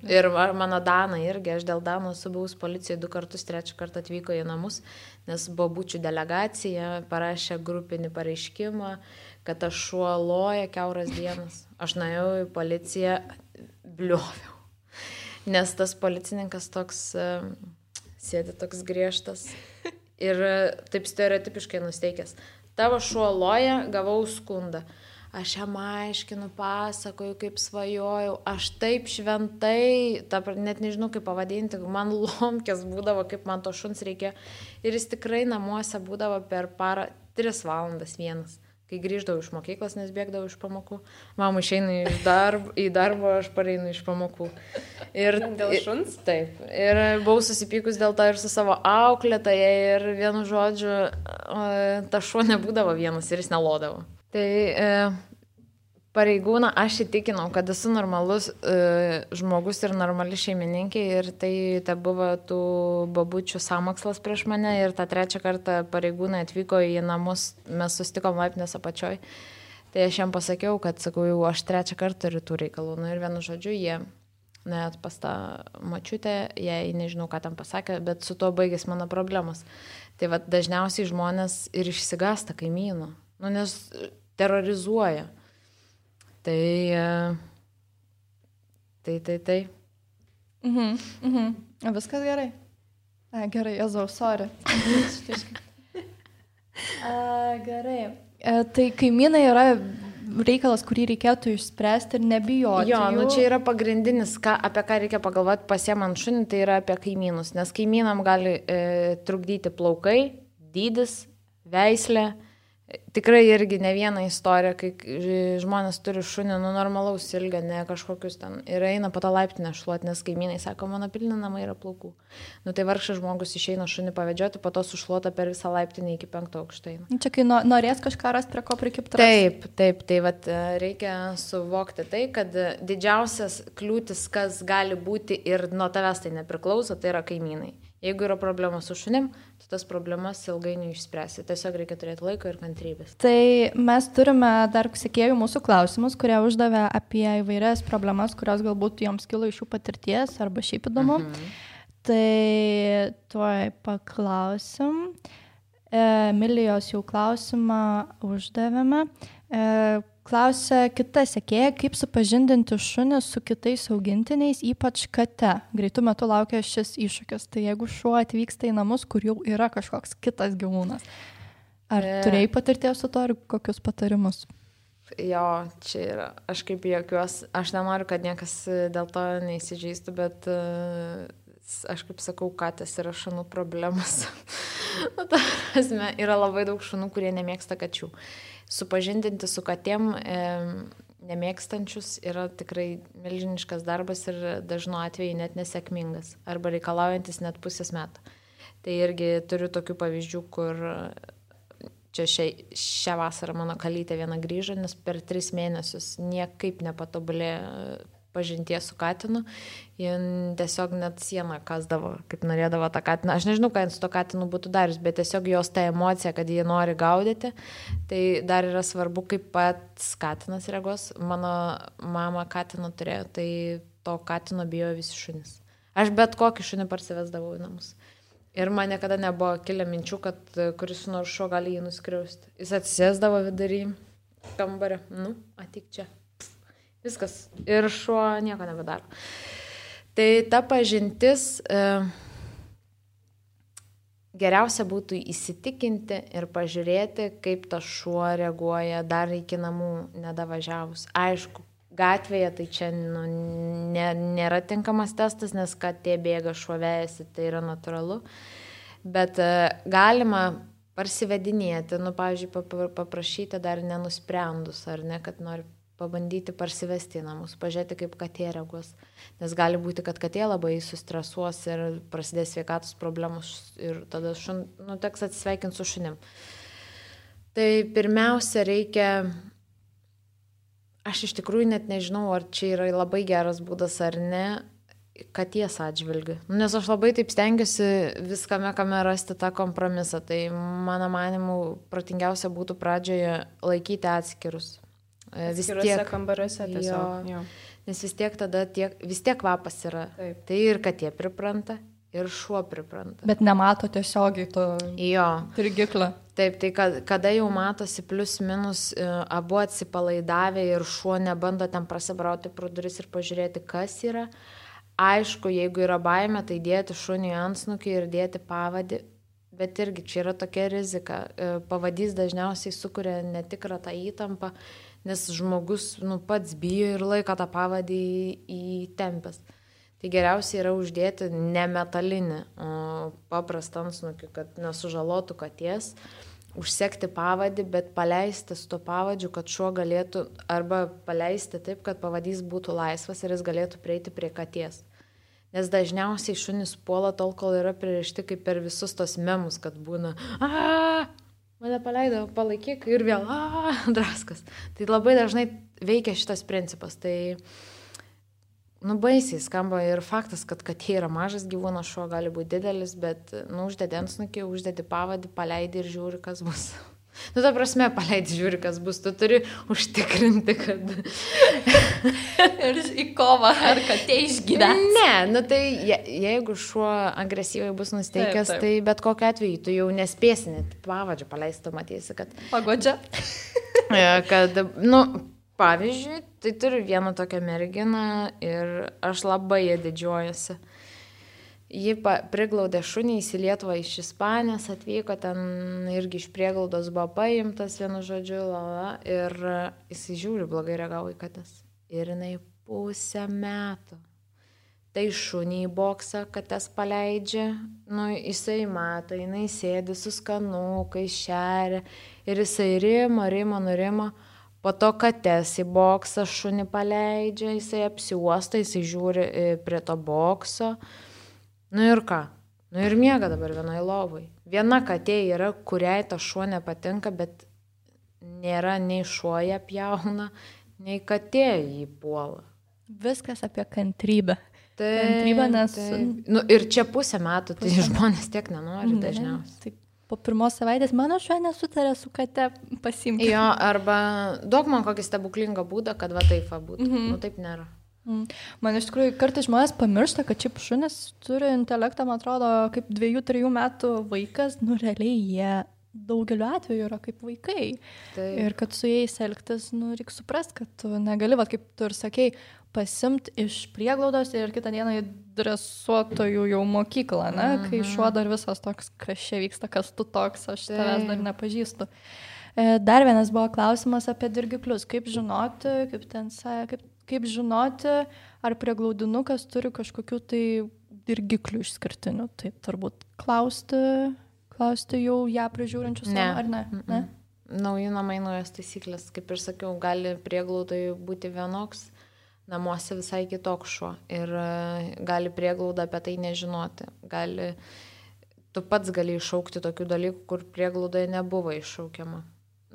Ir mano Dana irgi, aš dėl Dano esu buvus policijai 2 kartus, 3 kartą atvyko į namus, nes bobučių delegacija parašė grupinį pareiškimą, kad aš šuo loja kiauras dienas. Aš nuėjau į policiją, blioviau. Nes tas policininkas toks, sėdi toks griežtas ir taip stereotipiškai nusteikęs. Tavo šuo loja, gavau skundą. Aš jam aiškinu, pasakoju, kaip svajojau, aš taip šventai, net nežinau kaip pavadinti, man lomkės būdavo, kaip man to šuns reikia. Ir jis tikrai namuose būdavo per parą 3 valandas vienas. Kai grįždavau iš mokyklos, nes bėgdavau iš pamokų. Mama išeina į darbą, aš pareinu iš pamokų. Ir, dėl šuns? Taip. Ir buvau susipykus dėl to ir su savo auklėtoje ir vienu žodžiu, ta šuo nebūdavo vienas ir jis nelodavo. Tai pareigūną aš įtikinau, kad esu normalus žmogus ir normali šeimininkė ir tai buvo tų babučių sąmokslas prieš mane ir tą 3 kartą pareigūnai atvyko į namus, mes susitikom laiptinės apačioj. Tai aš jam pasakiau, kad sakau, jau aš 3 kartą turiu tų reikalų. Nu, ir vienu žodžiu jie net pas tą mačiutę, jei nežinau, ką tam pasakė, bet su tuo baigės mano problemos. Tai va, dažniausiai žmonės ir išsigąsta kaimynų. Nu, nes terrorizuoja. Tai. Viskas gerai. Gerai, Jėzau, sorry. Gerai. Tai kaimynai yra reikalas, kurį reikėtų išspręsti ir nebijoti. Jo, nu čia yra pagrindinis, apie ką reikia pagalvoti pasiemant šunį, tai yra apie kaimynus, nes kaimynam gali trukdyti plaukai, dydis, veislė. Tikrai irgi ne viena istorija, kai žmonės turi šunį, normalaus ilgio, ne kažkokius ten. Ir eina po tą laiptinę šluoti, nes kaimynai sako, mano pilni namai yra plaukų. Tai vargšas žmogus išeina šunį pavedžioti, po to sušluota per visą laiptinę iki 5 aukštą. Čia kai norės kažką rasti, prie ko prikipti. Taip. Tai vat, reikia suvokti tai, kad didžiausias kliūtis, kas gali būti ir nuo tavęs tai nepriklauso, tai yra kaimynai. Jeigu yra problema su šunim, tai tas problemas ilgainiui išspręsi. Tiesiog reikia turėti laiko ir kantrybės. Tai mes turime dar sekėjų mūsų klausimus, kurie uždavė apie įvairias problemas, kurios galbūt joms kilo iš jų patirties arba šiaip įdomu. Tai tuoj paklausim. Emilijos jau klausimą uždavėme. Klausia kita sekėja, kaip supažindinti šunį su kitais augintiniais, ypač kate. Greitų metų laukia šis iššūkis. Tai jeigu šuo atvyksta į namus, kur jau yra kažkoks kitas gyvūnas. Ar turėjai patirties su to ir kokius patarimus? Jo, čia yra. Aš kaip juokiuos, aš nenoriu, kad niekas dėl to neįsižeistų, bet aš kaip sakau, katės yra šunų problemas. Yra labai daug šunų, kurie nemėgsta kačių. Supažindinti su katėm nemėgstančius yra tikrai milžiniškas darbas ir dažnu atveju net nesėkmingas arba reikalaujantis net pusės metų. Tai irgi turiu tokių pavyzdžių, kur čia šią vasarą mano kalytė viena grįžo, nes per 3 mėnesius niekaip nepatobulėjo pažinties su katinu, jie tiesiog net sieną kasdavo, kaip norėdavo tą katiną. Aš nežinau, ką su to katinu būtų darius, bet tiesiog jos ta emocija, kad jie nori gaudyti, tai dar yra svarbu, kaip pats katinas reagos. Mano mama katino turėjo, tai to katino bijo visi šunys. Aš bet kokį šunį parsivesdavau į namus. Ir man niekada nebuvo kilę minčių, kad kuris nors šuo gali jį nuskriausti. Jis atsisėsdavo vidury kambario. Ateik čia. Viskas. Ir šuo nieko nebedaro. Tai ta pažintis geriausia būtų įsitikinti ir pažiūrėti, kaip tas šuo reaguoja dar iki namų nedavažiavus. Aišku, gatvėje tai čia nėra tinkamas testas, nes katė bėga, šuo vejasi, tai yra natūralu. Bet galima parsivedinėti, pavyzdžiui, paprašyti dar nenusprendus, ar ne, kad nori pabandyti parsivesti į namus, pažiūrėti, kaip katė reaguos. Nes gali būti, kad katė labai sustresuos ir prasidės sveikatos problemos ir tada teks atsisveikinti su šunim. Tai pirmiausia reikia, aš iš tikrųjų net nežinau, ar čia yra labai geras būdas ar ne, katės atžvilgiu. Nes aš labai taip stengiuosi viskame, kame rasti tą kompromisą. Tai mano manimu protingiausia būtų pradžioje laikyti atskirus. Atskiruose kambariuose tiesiog. Jo. Nes vis tiek tada vis tiek kvapas yra. Taip. Tai ir katė pripranta, ir šuo pripranta. Bet nemato tiesiogiai to dirgiklio. Taip, tai kada jau matosi plius minus abu atsipalaidavę ir šuo nebando ten prasibrauti pro duris ir pažiūrėti, kas yra. Aišku, jeigu yra baimė, tai dėti šunį antsnukį ir dėti pavadį. Bet irgi čia yra tokia rizika. Pavadys dažniausiai sukuria netikrą tą įtampą, nes žmogus pats bijo ir laiko tą pavadį įtempęs. Tai geriausia yra uždėti ne metalinį, o paprastą antsnukį, kad nesužalotų katės, užsekti pavadį, bet paleisti su to pavadžiu, kad šuo galėtų, arba paleisti taip, kad pavadys būtų laisvas ir jis galėtų prieiti prie katės. Nes dažniausiai šunys puola tol, kol yra pririšti kaip per visus tos memus, kad būna mane paleido, palaikyk ir vėl draskas. Tai labai dažnai veikia šitas principas. Tai baisiai skamba ir faktas, kad katė yra mažas gyvūnas, šuo gali būti didelis, bet uždedi antsnukį, uždedi pavadį, paleidi ir žiūri, kas bus. Ta prasme, paleidi, žiūri, kas bus. Tu turi užtikrinti, kad... ir į kovą, ar katė išgyvens. Ne, tai jeigu šuo agresyviai bus nusteikęs, taip. Tai bet kokiu atveju tu jau nespėsi net pavadžio paleisti, tu matysi, kad... Pagodžia. Kad, pavyzdžiui, tai turiu vieną tokią merginą ir aš labai ją didžiuojuosi. Ji priglaudė šunį į Lietuvą iš Ispanijos, atvyko ten irgi iš prieglaudos buvo paimtas, vienu žodžiu, ir jis žiūri blogai reagavo į kates. Ir jinai 1,5 metų. Tai šunį į boksą, kates paleidžia, jisai mato, jinai sėdi su skanukai, šeria ir jisai nurimo. Po to kates į boksą šunį paleidžia, jisai apsiuosta, jisai žiūri prie to bokso. Ir ką? Ir miega dabar vienoj lovai. Viena katė yra, kuriai ta šuo nepatinka, bet nėra nei šuo ją pjauna, nei katė jį puola. Viskas apie kantrybę. Kantrybę, nes... Ir čia 1,5 metų, tai žmonės tiek nenori dažniausiai. Taip. Po 1 savaitės mano šuo nesutarė su kate pasimti. Jo, arba duok man kokį stebuklingą būdą, kad va taip būtų. Taip nėra. Man iš tikrųjų kartais žmonės pamiršta, kad šiaip šunis turi intelektą, man atrodo, kaip 2-3 metų vaikas, realiai jie daugeliu atveju yra kaip vaikai. Taip. Ir kad su jais elgtis, reikia suprasti, kad tu negali, kaip tu ir sakei, pasimt iš prieglaudos ir kitą dieną į dresuotojų jau mokyklą, kai šuo dar visas toks, kas čia vyksta, kas tu toks, aš tavęs dar nepažįstu. Dar vienas buvo klausimas apie dirgiklius. Kaip žinoti, ar prieglaudinukas turi kažkokių tai dirgiklių išskirtinių? Tai turbūt klausti jau ją prižiūrinčius ar ne? Nauji namai, naujas taisyklės. Kaip ir sakiau, gali prieglaudai būti vienoks, namuose visai kitoks šuo. Ir gali prieglauda apie tai nežinoti. Tu pats gali iššaukti tokių dalykų, kur prieglaudoje nebuvo iššaukiama.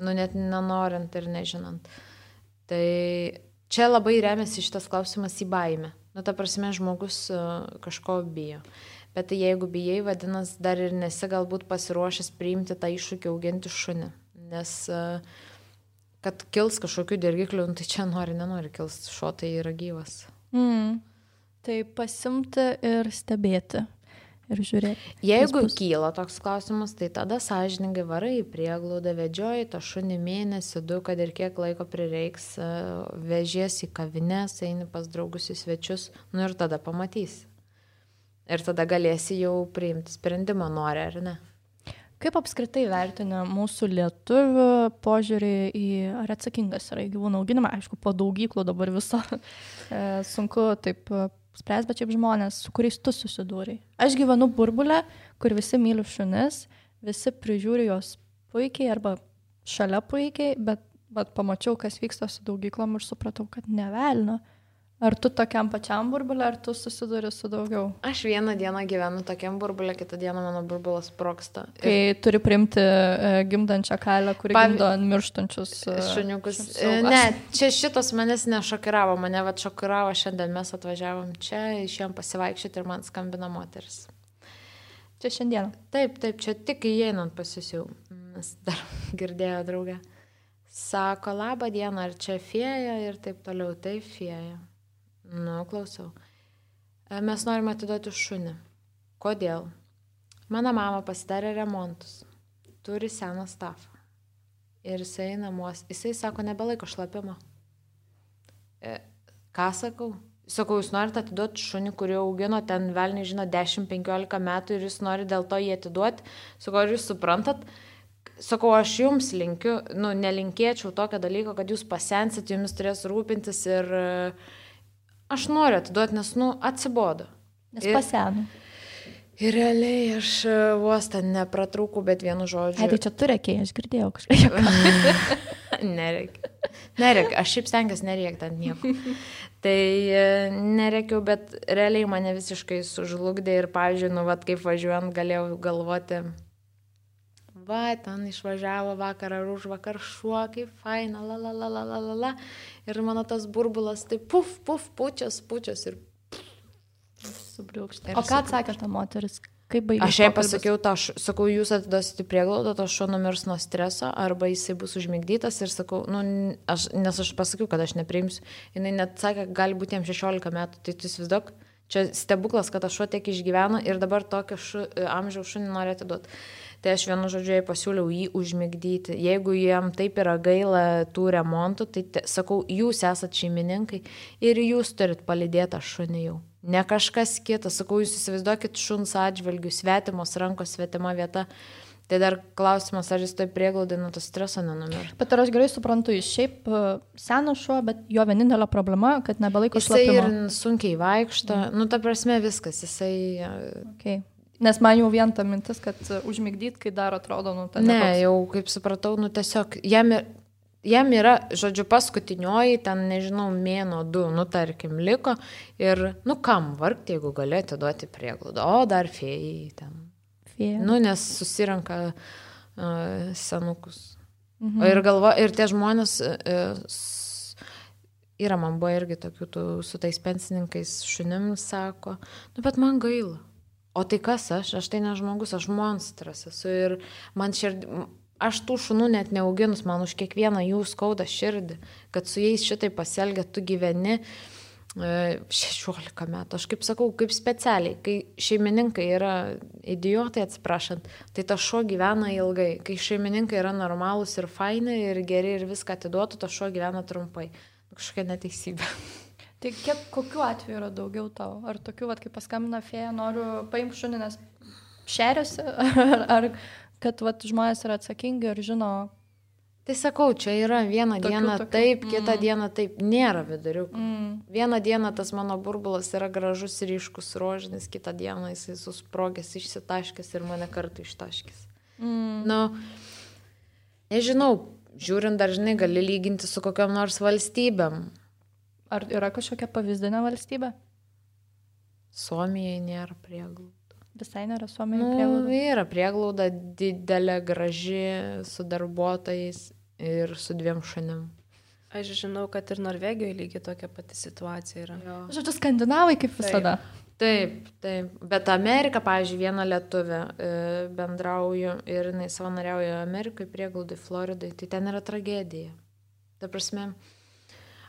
Net nenorint ir nežinant. Tai čia labai remiasi šitas klausimas į baimę. Ta prasme, žmogus kažko bijo. Bet tai jeigu bijai, vadinasi, dar ir nesi galbūt pasiruošęs priimti tą iššūkį auginti šunį. Nes kad kils kažkokių dirgiklių, tai čia nenori kils, šuo tai yra gyvas. Tai pasimti ir stebėti. Ir žiūrėti. Jeigu kyla toks klausimas, tai tada sąžiningai varai į prieglaudą, vedžioji tą šunį 1-2 mėnesių, kad ir kiek laiko prireiks, vežiesi į kavines, eini pas draugus į svečius, ir tada pamatysi. Ir tada galėsi jau priimti sprendimą, nori ar ne. Kaip apskritai vertina mūsų lietuvių požiūrį į ar atsakingas yra į gyvūnų auginimą? Aišku, po daugyklų dabar viso sunku taip spręs, bet šiaip žmonės, su kuriais tu susidūrai. Aš gyvenu burbulę, kur visi myli šunis, visi prižiūri jos puikiai arba šalia puikiai, bet pamačiau, kas vyksta su daugyklom ir supratau, kad nevelna. Ar tu tokiam pačiam burbulė, ar tu susiduri su daugiau? Aš vieną dieną gyvenu tokiam burbulė, kitą dieną mano burbulas sprogsta. Kai turi priimti gimdančią kalę, kuri gimdo mirštančius šuniukus. Ne, čia šitas manęs nešokiravo, mane šokiravo šiandien, mes atvažiavom čia, išėjom pasivaikščioti ir man skambina moteris. Čia šiandien? Taip, čia tik įeinant pasisiau, nes dar girdėjo draugę. Sako, labą dieną, ar čia fėja ir taip toliau, taip fėja. Klausau. Mes norime atiduoti šunį. Kodėl? Mano mama pasidarė remontus. Turi seną stafą. Ir jisai namuose. Jisai sako, nebelaiko šlapimo. Ką sakau? Sakau, jūs norite atiduoti šunį, kurį augino ten velniai žino 10-15 metų ir jūs norite dėl to jį atiduoti. Sakau, ar jūs suprantat? Sakau, aš jums linkiu, nelinkėčiau tokio dalyko, kad jūs pasensit, jumis turės rūpintis ir aš noriu atiduoti, nes, atsibodo. Nes pasenu. Ir realiai aš vos ten nepratrūkau, bet vienu žodžiu. Tai čia tu reikia, aš girdėjau kažką. Nereikia. Aš šiaip stengiuosi nereikti ant nieko. Tai nereikiau, bet realiai mane visiškai sužlugdė ir, pavyzdžiui, kaip važiuojant galėjau galvoti, ten išvažiavo vakar ar už vakar šuo, kaip faina, la. Ir mano tas burbulas, tai pučias ir subriukšta. O ką atsakė ta moteris? Kaip baigė? Aš jai pasakiau, sakau, jūs atiduosite prieglaudą, to šuo numirs nuo streso, arba jisai bus užmigdytas ir sakau, nes aš pasakiau, kad aš nepriimsiu. Jinai net sakė, gali būti jam 16 metų, tai tu įsivaizduok, čia stebuklas, kad tas šuo tiek išgyveno ir dabar tokio amžiaus šunį nori atiduoti. Tai aš vienu žodžiu jai pasiūliau jį užmigdyti. Jeigu jam taip yra gaila tų remontų, tai sakau, jūs esat šeimininkai ir jūs turit palydėti šunį jau. ne kažkas kitas. Sakau, jūs įsivaizduokit šuns atžvilgių, svetimos rankos, svetima vieta. Tai dar klausimas, ar jis toj prieglaudai nuo to streso nenumirtų. Bet ar aš gerai suprantu, jis šiaip senas šuo, bet jo vienintelė problema, kad nebelaiko šlapimo. Jisai ir sunkiai vaikšto, nu ta prasme viskas, jisai... Okay. Nes man jau vien ta mintis, kad užmigdyt, kai dar atrodo, nu ta... Ne, jau kaip supratau, nu tiesiog, jam yra, žodžiu, paskutinioji, ten, nežinau, mėno 2, nu tarkim, liko ir, nu kam vargti, jeigu galėtų duoti prieglaudą, o dar fėjai ten. Nu, nes susirenka senukus. Ir tie žmonės, yra, man buvo irgi tokių, su tais pensininkais šunim sako, nu, bet man gaila. O tai kas aš tai ne žmogus, aš monstras esu ir aš tų šunų net neauginus, man už kiekvieną jų skauda širdį, kad su jais šitai pasielgia, tu gyveni 16 metų. Aš kaip sakau, kaip specialiai, kai šeimininkai yra idiotai, atsiprašant, tai ta šuo gyvena ilgai. Kai šeimininkai yra normalūs ir faini ir geri ir viską atiduotų, ta šuo gyvena trumpai. Kažkokia neteisybė. Tai kokiu atveju yra daugiau tau? Ar tokių, kaip paskambina fėja, noriu paimti šunį, nes šeriasi? Ar kad žmonės yra atsakingi ir žino... Tai sakau, čia yra vieną dieną taip, kitą dieną taip, nėra viduriukų. Vieną dieną tas mano burbulas yra gražus, ryškus, rožinis, kitą dieną jisai susprogęs, išsitaškęs ir mane kartu ištaškęs. Nu, nežinau, žiūrint dažnai gali lyginti su kokiam nors valstybėm. Ar yra kažkokia pavyzdinė valstybė? Suomijai nėra prieglų. Visai nėra Suomijoje prieglauda? Yra prieglauda didelė, graži, su darbuotojais ir su 2 šunim. Aš žinau, kad ir Norvegijoje lygiai tokia pati situacija yra. Žodžiu, skandinavai kaip visada. Taip. Bet Amerika, pavyzdžiui, viena lietuvė bendrauju ir jinai savanoriauja Amerikai prieglaudai, Floridai, tai ten yra tragedija. Ta prasme...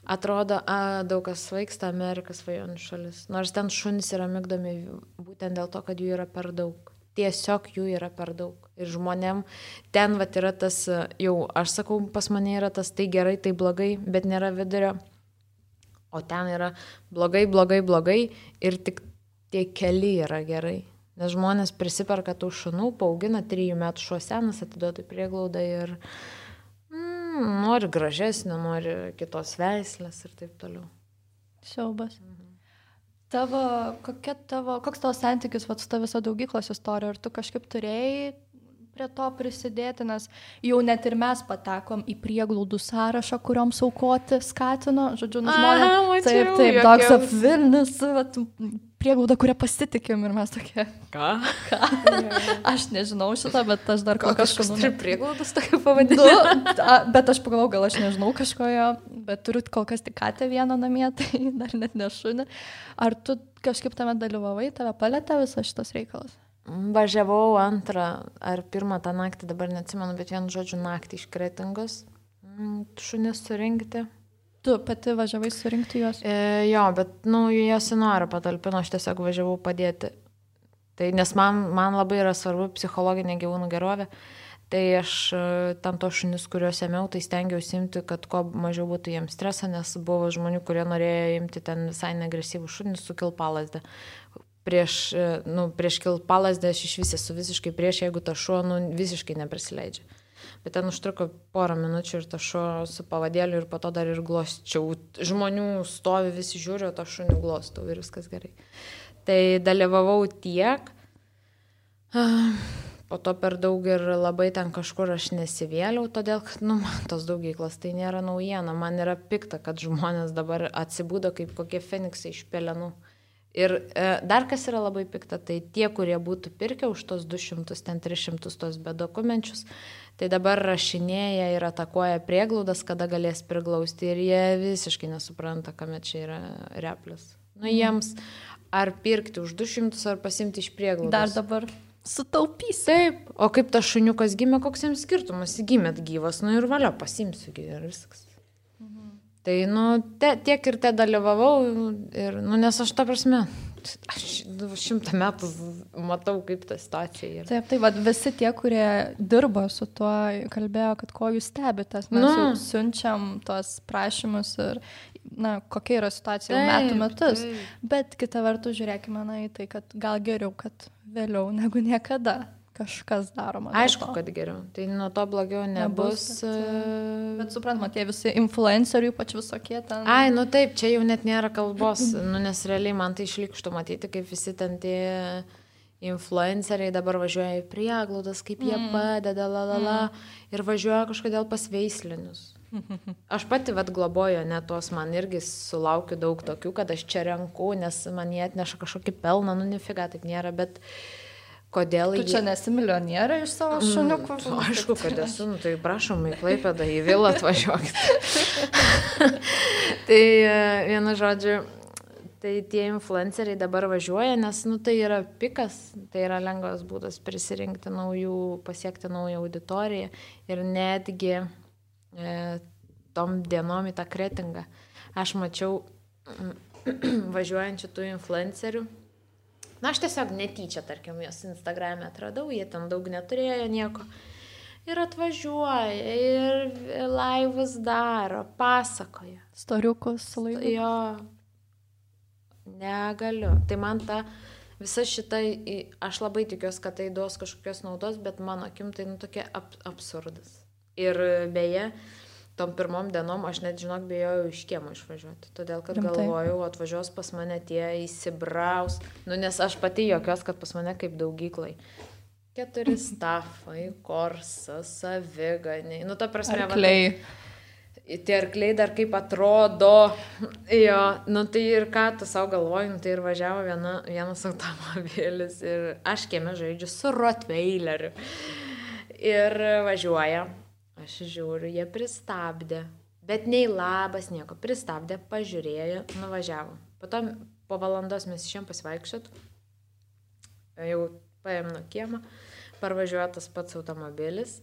Atrodo, daug kas svaigsta, Amerikas svajonių šalis. Nors ten šunys yra migdomi būtent dėl to, kad jų yra per daug. Tiesiog jų yra per daug. Ir žmonėm ten yra tas, jau aš sakau, pas mane yra tas tai gerai, tai blogai, bet nėra vidurio. O ten yra blogai ir tik tie keli yra gerai. Nes žmonės prisiperka tų šunų, paaugina 3 metų šuo senas, atiduoda į prieglaudą ir... nori gražesnio, nori kitos veislės ir taip toliau. Siaubas. Koks tavo santykis su ta visa daugyklos istorija? Ar tu kažkaip turėjai prie to prisidėti, nes jau net ir mes patekom į prieglaudų sąrašą, kurioms aukoti skatino, žodžiu, žmonės. Taip, Dogs of Vilnius, prieglauda, kurią pasitikim ir mes tokie. Ką? Aš nežinau šitą, bet aš dar kažkas turi prieglaudas tokio pavadinimo. Bet aš pagalvojau, gal aš nežinau kažkojo, bet turiu kol kas tik katę vieną namie, tai dar net nešunį. Ar tu kažkaip tame dalyvavai, tave palėtė visas šitas reikalas? Važiavau 2 ar 1 tą naktį, dabar neatsimenu, bet vienu žodžiu naktį iš Kretingos šunis surinkti. Tu pati važiavai surinkti juos? Jo, bet juos į norą patalpino, aš tiesiog važiavau padėti. Tai, nes man labai yra svarbu psichologinė gyvūnų gerovė, tai aš tam to šunis, kuriuos ėmiau, tai stengiausi imti, kad kuo mažiau būtų jiems streso, nes buvo žmonių, kurie norėjo imti ten visai neagresyvų šunis su kilpalasde. Prieš kilpalasdę aš iš vis esu visiškai prieš, jeigu ta šuo visiškai neprisileidžia. Bet ten užtruko 2 minučių ir ta šuo su pavadėliu ir po to dar ir glosčiau. Žmonių stovi, visi žiūri, o to šunių glostau ir viskas gerai. Tai dalyvavau tiek, po to per daug ir labai ten kažkur aš nesivėliau, todėl kad man tos daugyklos tai nėra naujiena. Man yra pikta, kad žmonės dabar atsibūdo kaip kokie feniksai iš pelenų. Ir dar kas yra labai pikta, tai tie, kurie būtų pirkę už tos 200, ten 300 tos bedokumenčius, tai dabar rašinėja ir atakuoja prieglaudas, kada galės priglausti ir jie visiškai nesupranta, kame čia yra replis. Jiems ar pirkti už 200 ar pasimti iš prieglaudos. Dar dabar sutaupys. Taip, o kaip tas šuniukas gimė, koks jiems skirtumas, gimėt gyvas, ir valio pasimsiu ir viskas. Tai, tiek ir te dalyvavau ir, nes aš ta prasme, aš 100 metų matau, kaip ta situacija yra. Taip, visi tie, kurie dirba su tuo, kalbėjo, kad ko jūs stebitės, mes jau siunčiam tos prašymus ir na, kokia yra situacija jau metų metus. Bet kita vertus, žiūrėkime į tai, kad gal geriau, kad vėliau negu niekada kažkas daroma. Aišku, kad geriau. Tai nuo to blogiau nebus. Bet suprantama, tie visi influenceriai, ypač visokie ten. Ai, nu taip, čia jau net nėra kalbos, nes realiai man tai išlikštų matyti, kaip visi ten tie influenceriai dabar važiuoja į prieglaudas, kaip jie padeda, ir važiuoja kažkodėl pas veislinius. Aš pati globoju, net tos man irgi sulaukiu daug tokių, kad aš čia renku, nes man jie atneša kažkokį pelną, nu nefiga, taip nėra, bet kodėl... Tu čia nesi milijonieriai iš savo šuniukų? Aišku, kad esu, nu, tai prašom į Klaipėdą, į vilą atvažiuokit. Tai vienu žodžiu, tai tie influenceriai dabar važiuoja, nes nu, tai yra pikas, tai yra lengvas būdas prisirinkti naujų, pasiekti naują auditoriją ir netgi tom dienom į tą kretingą. Aš mačiau važiuojančių tų influencerių. Na, aš tiesiog netyčia, tarkim, jos Instagram'e atradau, jie ten daug neturėjo nieko. Ir atvažiuoja, ir laivus daro, pasakoja. Storiukus laivus. Jo, negaliu. Tai man ta visa šita, aš labai tikiuosi, kad tai duos kažkokios naudos, bet mano akim tai tokia absurdas. Ir beje, tom pirmom dienom aš net, žinok, bijojau iš kiemo išvažiuoti. Todėl, kad galvojau, atvažiuos pas mane tie įsibraus. Nu, nes aš pati jokios, kad pas mane kaip daugyklai. 4 stafai, korsas, saviganiai. Nu, ta prasme, arkliai. Tie arkliai dar kaip atrodo. Jo, nu tai ir ką tu savo galvoji, nu, tai ir važiavo vienas automobilis ir aš kieme žaidžiu su Rottweileriu. Ir važiuoja. Aš žiūriu, jie pristabdė, bet nei labas, nieko, pristabdė, pažiūrėjo, nuvažiavo. Po valandos mes išėjom pasivaikščiot, jau paėm nuo kiemo, parvažiuoja tas pats automobilis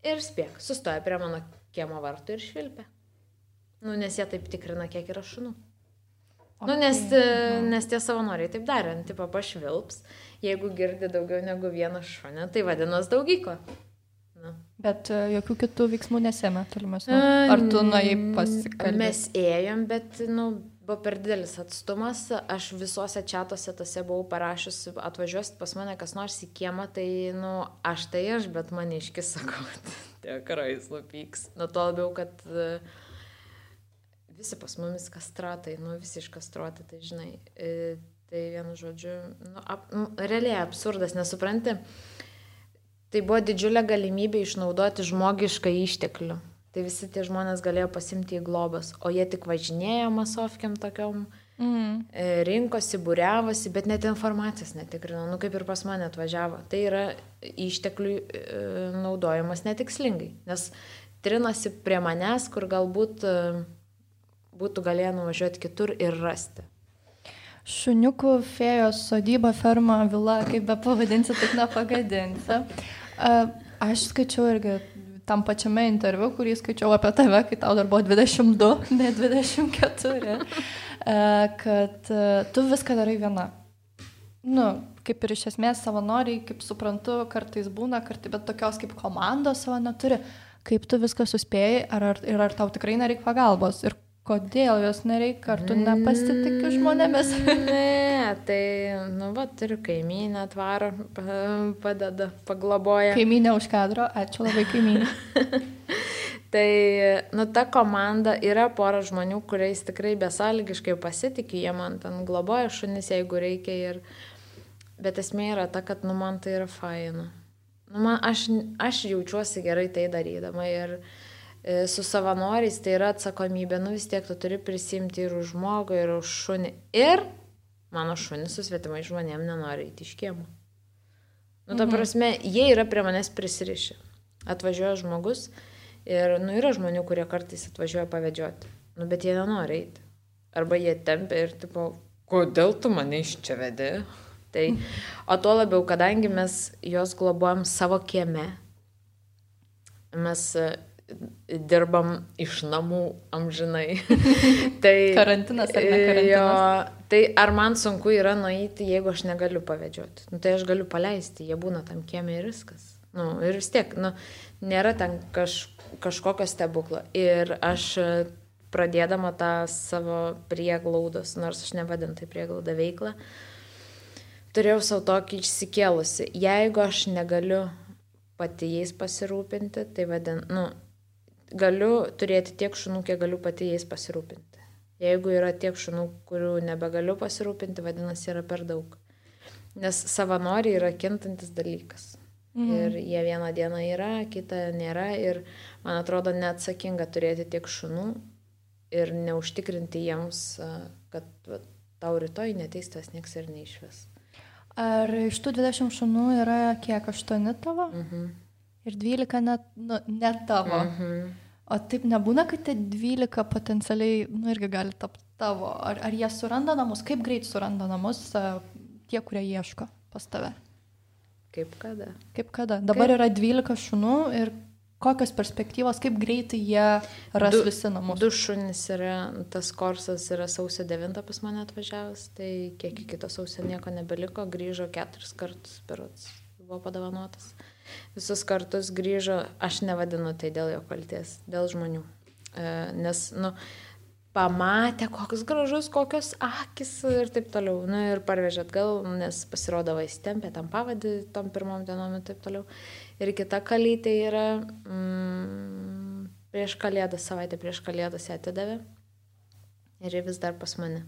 ir spėk, sustoja prie mano kiemo vartų ir švilpia. Nu, nes jie taip tikrina, kiek yra šunų. Okay. Nu, nes tie savanoriai taip darė, tipo pašvilps, jeigu girdi daugiau negu vieną šunę, tai vadinos daugykla. Bet jokių kitų veiksmų nesėmė tolimesnių. Ar tu nuėjai pasikalbėti? Mes ėjom, bet, buvo per didelis atstumas. Aš visose čatuose tose buvau parašius, atvažiuosit pas mane kas nors į kiemą, tai, aš tai aš, bet maniškis sakau, tikrai jis nupyks. Nuo to labiau, kad visi pas mumis kastratai, visi iškastruoti, tai žinai. Tai vienu žodžiu, realiai absurdas, nesupranti. Tai buvo didžiulė galimybė išnaudoti žmogišką išteklių. Tai visi tie žmonės galėjo pasimti į globas, o jie tik važinėjo masovkiam tokiom, rinkosi, būriavosi, bet net informacijos netikrino, kaip ir pas mane atvažiavo. Tai yra išteklių naudojimas netikslingai, nes trinasi prie manęs, kur galbūt būtų galėję nuvažiuoti kitur ir rasti. Šuniukų fėjos sodyba, ferma, vila, kaip be pavadinsi, taip nepagadinsi. Aš skaičiau irgi tam pačiame interviu, kurį skaičiau apie tave, kai tau dar buvo 22, ne 24, kad tu viską darai viena. Kaip ir iš esmės savanoriai, kaip suprantu, kartais būna, bet tokios kaip komandos savo neturi. Kaip tu viską suspėjai, ar tau tikrai nereik pagalbos? Ir kodėl jos nereikia, ar tu nepasitikiu žmonėmis? Ne, tai, turiu kaimynę, atvaro, padeda, pagloboja. Kaimynė už kadro, ačiū labai kaimynė. Tai, ta komanda yra pora žmonių, kuriais tikrai besąlygiškai pasitikiu, jie man ten globoja šunis, jeigu reikia. Bet esmė yra ta, kad, man tai yra faina. Aš jaučiuosi gerai tai darydama ir su savanoriais tai yra atsakomybė, vis tiek tu turi prisimti ir už žmogų, ir už šunį. Ir mano šunis su svetimai žmonėm nenori įti iš kiemo. Ta prasme, jie yra prie manęs prisirišę. Atvažiuoja žmogus ir, yra žmonių, kurie kartais atvažiuoja pavedžioti. Bet jie nenori eiti. Arba jie tempia ir, kodėl tu mane iš čia vedi? Tai, o tuo labiau, kadangi mes juos globojam savo kieme, mes dirbam iš namų amžinai. Tai, karantinas ar ne karantinas? Jo, tai ar man sunku yra nueiti, jeigu aš negaliu pavedžioti? Tai aš galiu paleisti, jie būna tam kieme ir viskas. Ir vis tiek, nėra ten kažkokio stebuklo. Ir aš pradėdama tą savo prieglaudos, nors aš nevadinu tai prieglaudą veiklą, turėjau savo tokį išsikėlusi. Jeigu aš negaliu pati jais pasirūpinti, tai galiu turėti tiek šunų, kiek galiu pati jais pasirūpinti. Jeigu yra tiek šunų, kurių nebegaliu pasirūpinti, vadinasi, yra per daug. Nes savanoriai yra kintantis dalykas. Ir jie vieną dieną yra, kitą nėra. Ir man atrodo neatsakinga turėti tiek šunų ir neužtikrinti jiems, kad tau rytoj neteis tas nieks ir neišves. Ar iš tų 20 šunų yra kiek, 8 tavo? Ir 12 net tavo? O taip nebūna, kad tie 12 potencialiai, irgi gali tapti tavo. Ar jie suranda namus? Kaip greit suranda namus tie, kurie ieško pas tave? Kaip kada? Dabar yra 12 šunų ir kokios perspektyvos, kaip greitai jie ras visi namus? 2 šunys yra, tas korsas yra sausio 9 pas mane atvažiavęs, tai kiek kito sausio nieko nebeliko, grįžo 4 kartus, berods buvo padovanotas. Visus kartus grįžo, aš nevadinu tai dėl jo kalties, dėl žmonių. Nes, pamatė, koks gražus, kokios akis ir taip toliau. Ir parvežė atgal, nes pasirodavo įstempė tam pavadį, tom pirmom dienom ir taip toliau. Ir kita kalytė yra prieš kalėdas, savaitę prieš kalėdas ją atidavė. Ir ji vis dar pas mane.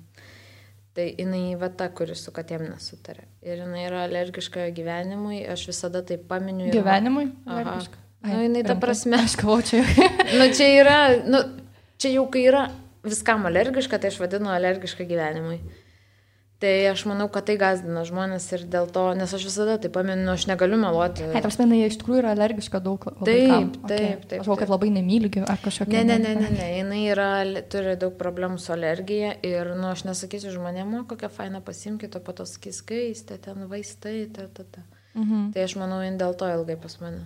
Tai jinai ta, kuris su katėm nesutarė. Ir jinai yra alergiška gyvenimui, aš visada tai paminiu. Gyvenimui? Alergiška? Jinai ta prasme. Aš galvoju, čia yra, čia jau kai yra viskam alergiška, tai aš vadinu alergiška gyvenimui. Tai aš manau, kad tai gazdina žmonės ir dėl to, nes aš visada tai paminu, aš negaliu meluoti. Taip, jinai iš tikrųjų yra alergiška daug vaikam. Taip. Aš galvoju, kad labai nemyli ar kažkokia. Ne, jinai turi daug problemų su alergija ir, aš nesakysiu žmonėm, kokią fainą pasimkite, o po to sakys, skaistė, ten vaistai, Tai aš manau, jin dėl to ilgai pas mane.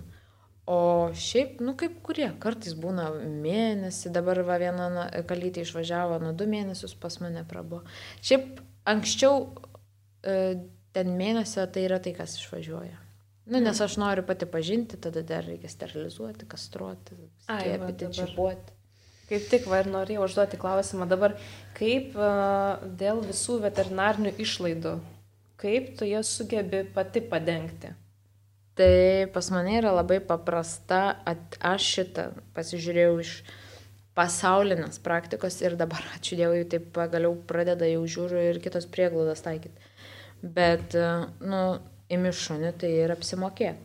O šiaip, kaip kurie, kartais būna mėnesį, dabar viena kalytė išvažiavo, 2 mėnesius pas mane prabuvo. Šiaip anksčiau ten mėnesio tai yra tai, kas išvažiuoja. Nes aš noriu pati pažinti, tada dar reikia sterilizuoti, kastruoti, skiepyti, čipuoti. Kaip tik ir norėjau užduoti klausimą dabar, kaip dėl visų veterinarinių išlaidų, kaip tu jas sugebi pati padengti? Tai pas mane yra labai paprasta, aš šitą pasižiūrėjau iš pasaulinės praktikos ir dabar, ačiū Dievui, taip pagaliau pradeda jau žiūriu ir kitos prieglaudos taikyti. Bet, imi šunį, tai ir apsimokėk.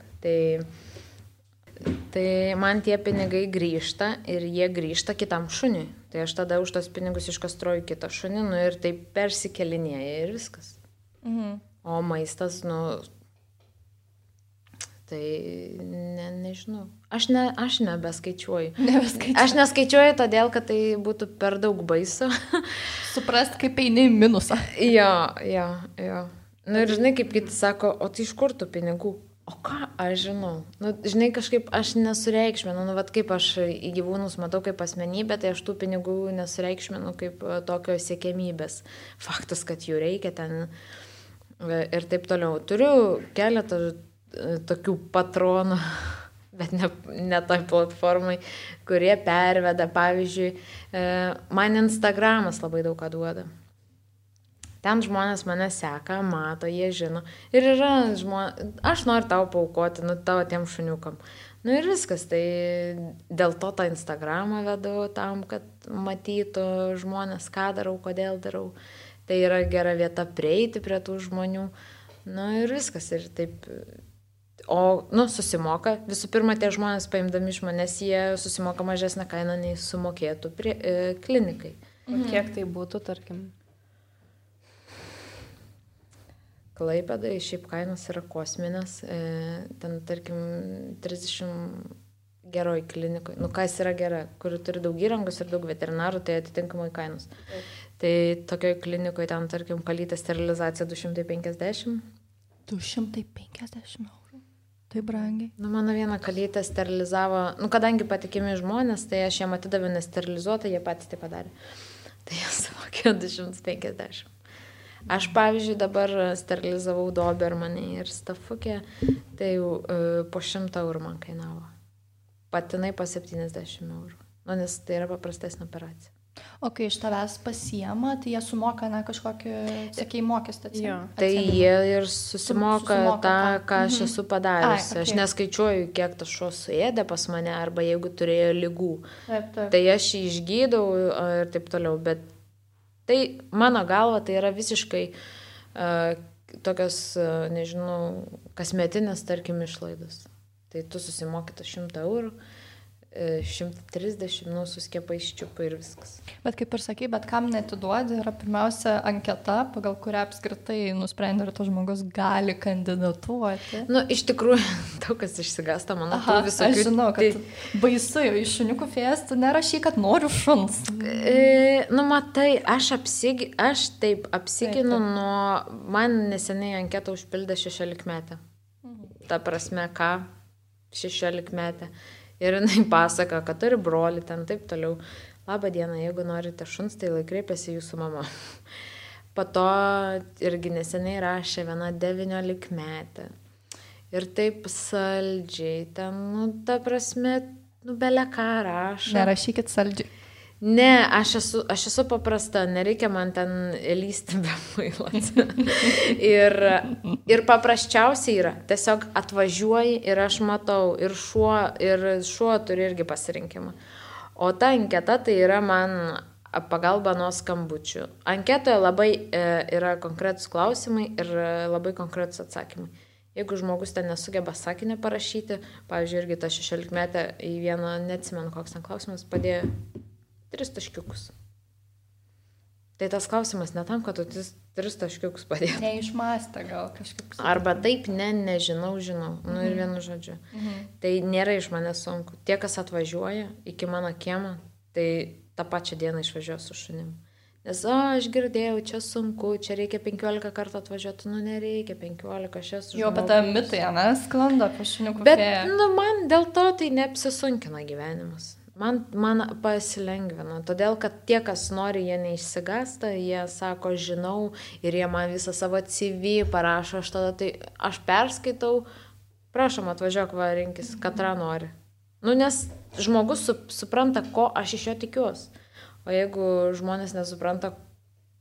Tai man tie pinigai grįžta ir jie grįžta kitam šuniui. Tai aš tada už tos pinigus iškastruoju kitą šunį ir taip persikelinėja ir viskas. O maistas, tai nežinau. Aš nebeskaičiuoju. Aš neskaičiuoju todėl, kad tai būtų per daug baisu. Suprast, kaip eini į minusą. Jo. Ir žinai, kaip kiti sako, o tai iš kur tų pinigų? O ką aš žinau? Žinai, kažkaip aš nesureikšminu. Kaip aš į gyvūnus matau kaip asmenybę, tai aš tų pinigų nesureikšminu kaip tokio siekiamybės. Faktas, kad jų reikia ten ir taip toliau. Turiu keletą tokių patronų, bet ne toj platformai, kurie perveda, pavyzdžiui, man Instagramas labai daug ką duoda. Ten žmonės mane seka, mato, jie žino. Ir yra žmonės, aš noriu tau paaukoti, tavo tiem šuniukam. Ir viskas, tai dėl to tą Instagramą vedu tam, kad matytų žmonės, ką darau, kodėl darau. Tai yra gera vieta prieiti prie tų žmonių. Ir viskas, ir taip. O, susimoka. Visų pirma, tie žmonės paimdami iš manęs, jie susimoka mažesnę kainą, nei sumokėtų klinikai. O kiek tai būtų, tarkim? Klaipėdai šiaip kainos yra kosminės. Ten, tarkim, 30 geroj klinikoj. Kas yra gera, kuri turi daug įrangos ir daug veterinarų, tai atitinkamai kainos. Tai tokioj klinikoje ten, tarkim, kalytė sterilizacija 250. 250 eurų. Tai brangiai. Mano vieną kalytę sterilizavo, kadangi patikimi žmonės, tai aš jiem atidaviau nesterilizuotą, jie patys tai padarė. Tai jie sumokėjo 250. Aš, pavyzdžiui, dabar sterilizavau dobermanį ir stafukę, tai jau po 100 eurų man kainavo. Patinai po 70 eurų. Nes tai yra paprastesnė operacija. O kai iš tavęs pasiema, tai jie sumoka, kažkokį, sakai, mokestį. Tai jie ir susimoka tą, ką aš esu padariusi. Okay. Aš neskaičiuoju, kiek tas šuo suėdė pas mane, arba jeigu turėjo lygų. Taip. Tai aš jį išgydau ir taip toliau. Bet tai, mano galva, tai yra visiškai tokios, nežinau, kasmetinės, tarkim, išlaidos. Tai tu susimoki 100 eurų. 130, su skiepais čiupai ir viskas. Bet kaip ir sakai, bet kam netiduodi, yra pirmiausia anketa, pagal kurią apskritai nusprendė, ar tas žmogus gali kandidatuoti. Iš tikrųjų, daug kas išsigąsta, mano tų visokių. Aš žinau, kad baisu, iš šuniukų fėjas tu nerašy, kad noriu šuns. Matai, aš taip apsiginu nuo, man neseniai anketą užpildė 16 metę. Ta prasme, ką 16 metę. Ir jinai pasaka, kad turi brolį ten, taip toliau. Labą dieną, jeigu norite šuns, tai kreipėsi jūsų mama. Po to irgi neseniai rašė viena 19 metę. Ir taip saldžiai, ten, ta prasme, belė ką rašo. Nerašykit saldžiai. Ne, aš esu paprasta, nereikia man ten lysti be mailas. ir paprasčiausiai yra, tiesiog atvažiuoji ir aš matau, ir šuo turi irgi pasirinkimą. O ta anketa tai yra man pagalba nuo skambučių. Anketoje labai yra konkretus klausimai ir labai konkretus atsakymai. Jeigu žmogus ten nesugeba sakinį parašyti, pavyzdžiui, irgi ta 16 metė į vieną, neatsimenu, koks ten klausimas, padėjo 3 taškiukus. Tai tas klausimas ne tam, kad tu 3 taškiukus padėtum. Neišmastė gal kažkaip. Arba taip, žinau. Ir vienu žodžiu. Tai nėra iš manęs sunku. Tie, kas atvažiuoja iki mano kiemą, tai tą pačią dieną išvažiuoja su šunim. Nes, aš girdėjau, čia sunku, čia reikia 15 kartų atvažiuoti, nereikia 15, aš esu žmogus. Jo, bet ta mitai, sklando apie šuniukų fėją. Bet, man dėl to tai neapsisunkina gyvenimas. Man pasilengvina, todėl, kad tie, kas nori, jie neišsigąsta, jie sako, žinau, ir jie man visą savo CV parašo, aš perskaitau, prašom, atvažiuok, rinkis, katrą nori. Nes žmogus supranta, ko aš iš jo tikiuosi. O jeigu žmonės nesupranta,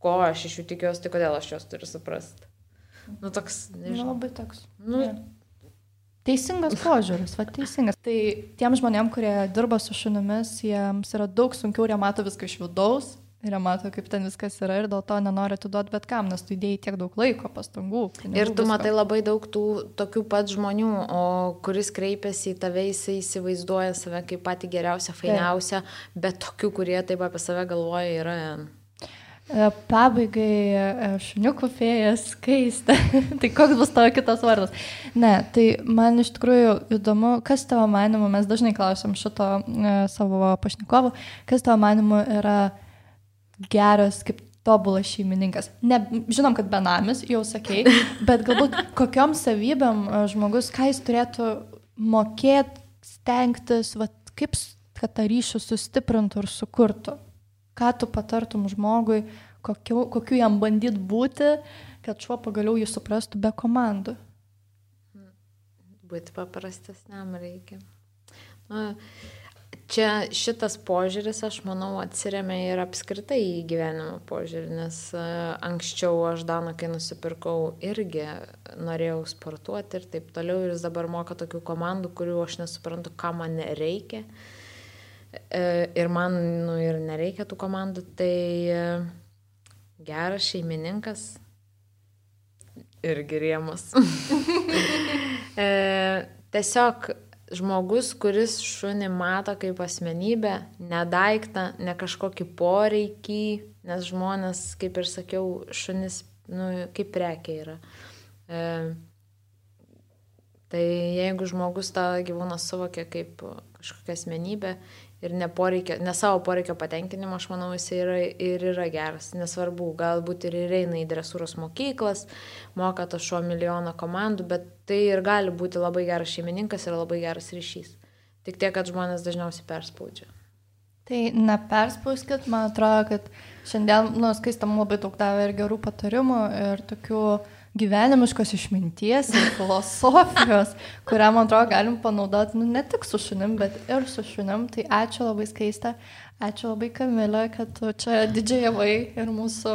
ko aš iš jų tikiuosi, tai kodėl aš jos turiu suprasti? Toks, nežinau. Labai toks. Teisingas požiūris, teisingas. Tai tiem žmonėm, kurie dirba su šunimis, jiems yra daug sunkiau, jie mato viską iš vidaus, ir jie mato, kaip ten viskas yra, ir dėl to nenori atiduoti bet kam, nes tu įdėjai tiek daug laiko, pastangų. Ir tu matai labai daug tų tokių pat žmonių, o kuris kreipiasi į tave, jisai įsivaizduoja save kaip patį geriausią, fainiausią, bet tokių, kurie taip apie save galvoja, yra... Pabaigai šuniukų fėjas Skaistė. Tai koks bus tavo kitas vardas? Ne, tai man iš tikrųjų įdomu, kas tavo manimu, mes dažnai klausim šito savo pašnekovų, kas tavo manimu yra geras kaip tobulas šeimininkas. Ne, žinom, kad benamis, jau sakei, bet galbūt kokiom savybėm žmogus, ką jis turėtų mokėti, stengtis, kaip kad tą ryšį sustiprintų ir sukurtų. Ką tu patartum žmogui, kokiu jam bandyt būti, kad šuo pagaliau jį suprastų be komandų? Būti paprastesniam reikia. Čia šitas požiūris, aš manau, atsiremia ir apskritai į gyvenimo požiūrį, nes anksčiau aš Daną, kai nusipirkau, irgi norėjau sportuoti ir taip toliau, ir jis dabar moka tokių komandų, kurių aš nesuprantu, ką man reikia. Ir man ir nereikia tų komandų, tai geras šeimininkas irgi rėmas. Tiesiog žmogus, kuris šunį mato kaip asmenybę, ne daiktą, ne kažkokį poreikį, nes žmonės, kaip ir sakiau, šunis kaip prekė yra. Tai jeigu žmogus tą gyvūną suvokia kaip kažkokią asmenybę, ir ne savo poreikio patenkinimo, aš manau, jis yra geras. Nesvarbu, galbūt ir eina į dresūros mokyklas, moka to šuo milijoną komandų, bet tai ir gali būti labai geras šeimininkas ir labai geras ryšys. Tik tiek, kad žmonės dažniausiai perspaudžia. Tai neperspauskit, man atrodo, kad šiandien Skaistė labai daug davė ir gerų patarimų, ir tokių gyvenimiškos išminties ir filosofijos, kurią, man atrodo, galim panaudoti ne tik su šunim, bet ir su šunim. Tai ačiū labai, Skaiste, ačiū labai, Kamilė, kad tu čia didžiajavai ir mūsų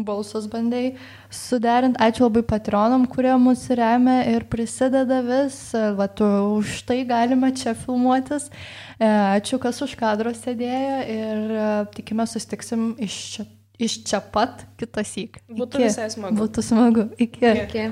balsus bandai suderinti. Ačiū labai patronam, kurie mus remia ir prisideda vis. Va, tu už tai galima čia filmuotis. Ačiū, kas už kadro sėdėjo ir tikime susitiksim iš čia pat kitąsyk. Būtų visai smagu. Būtų smagu. Iki. Iki.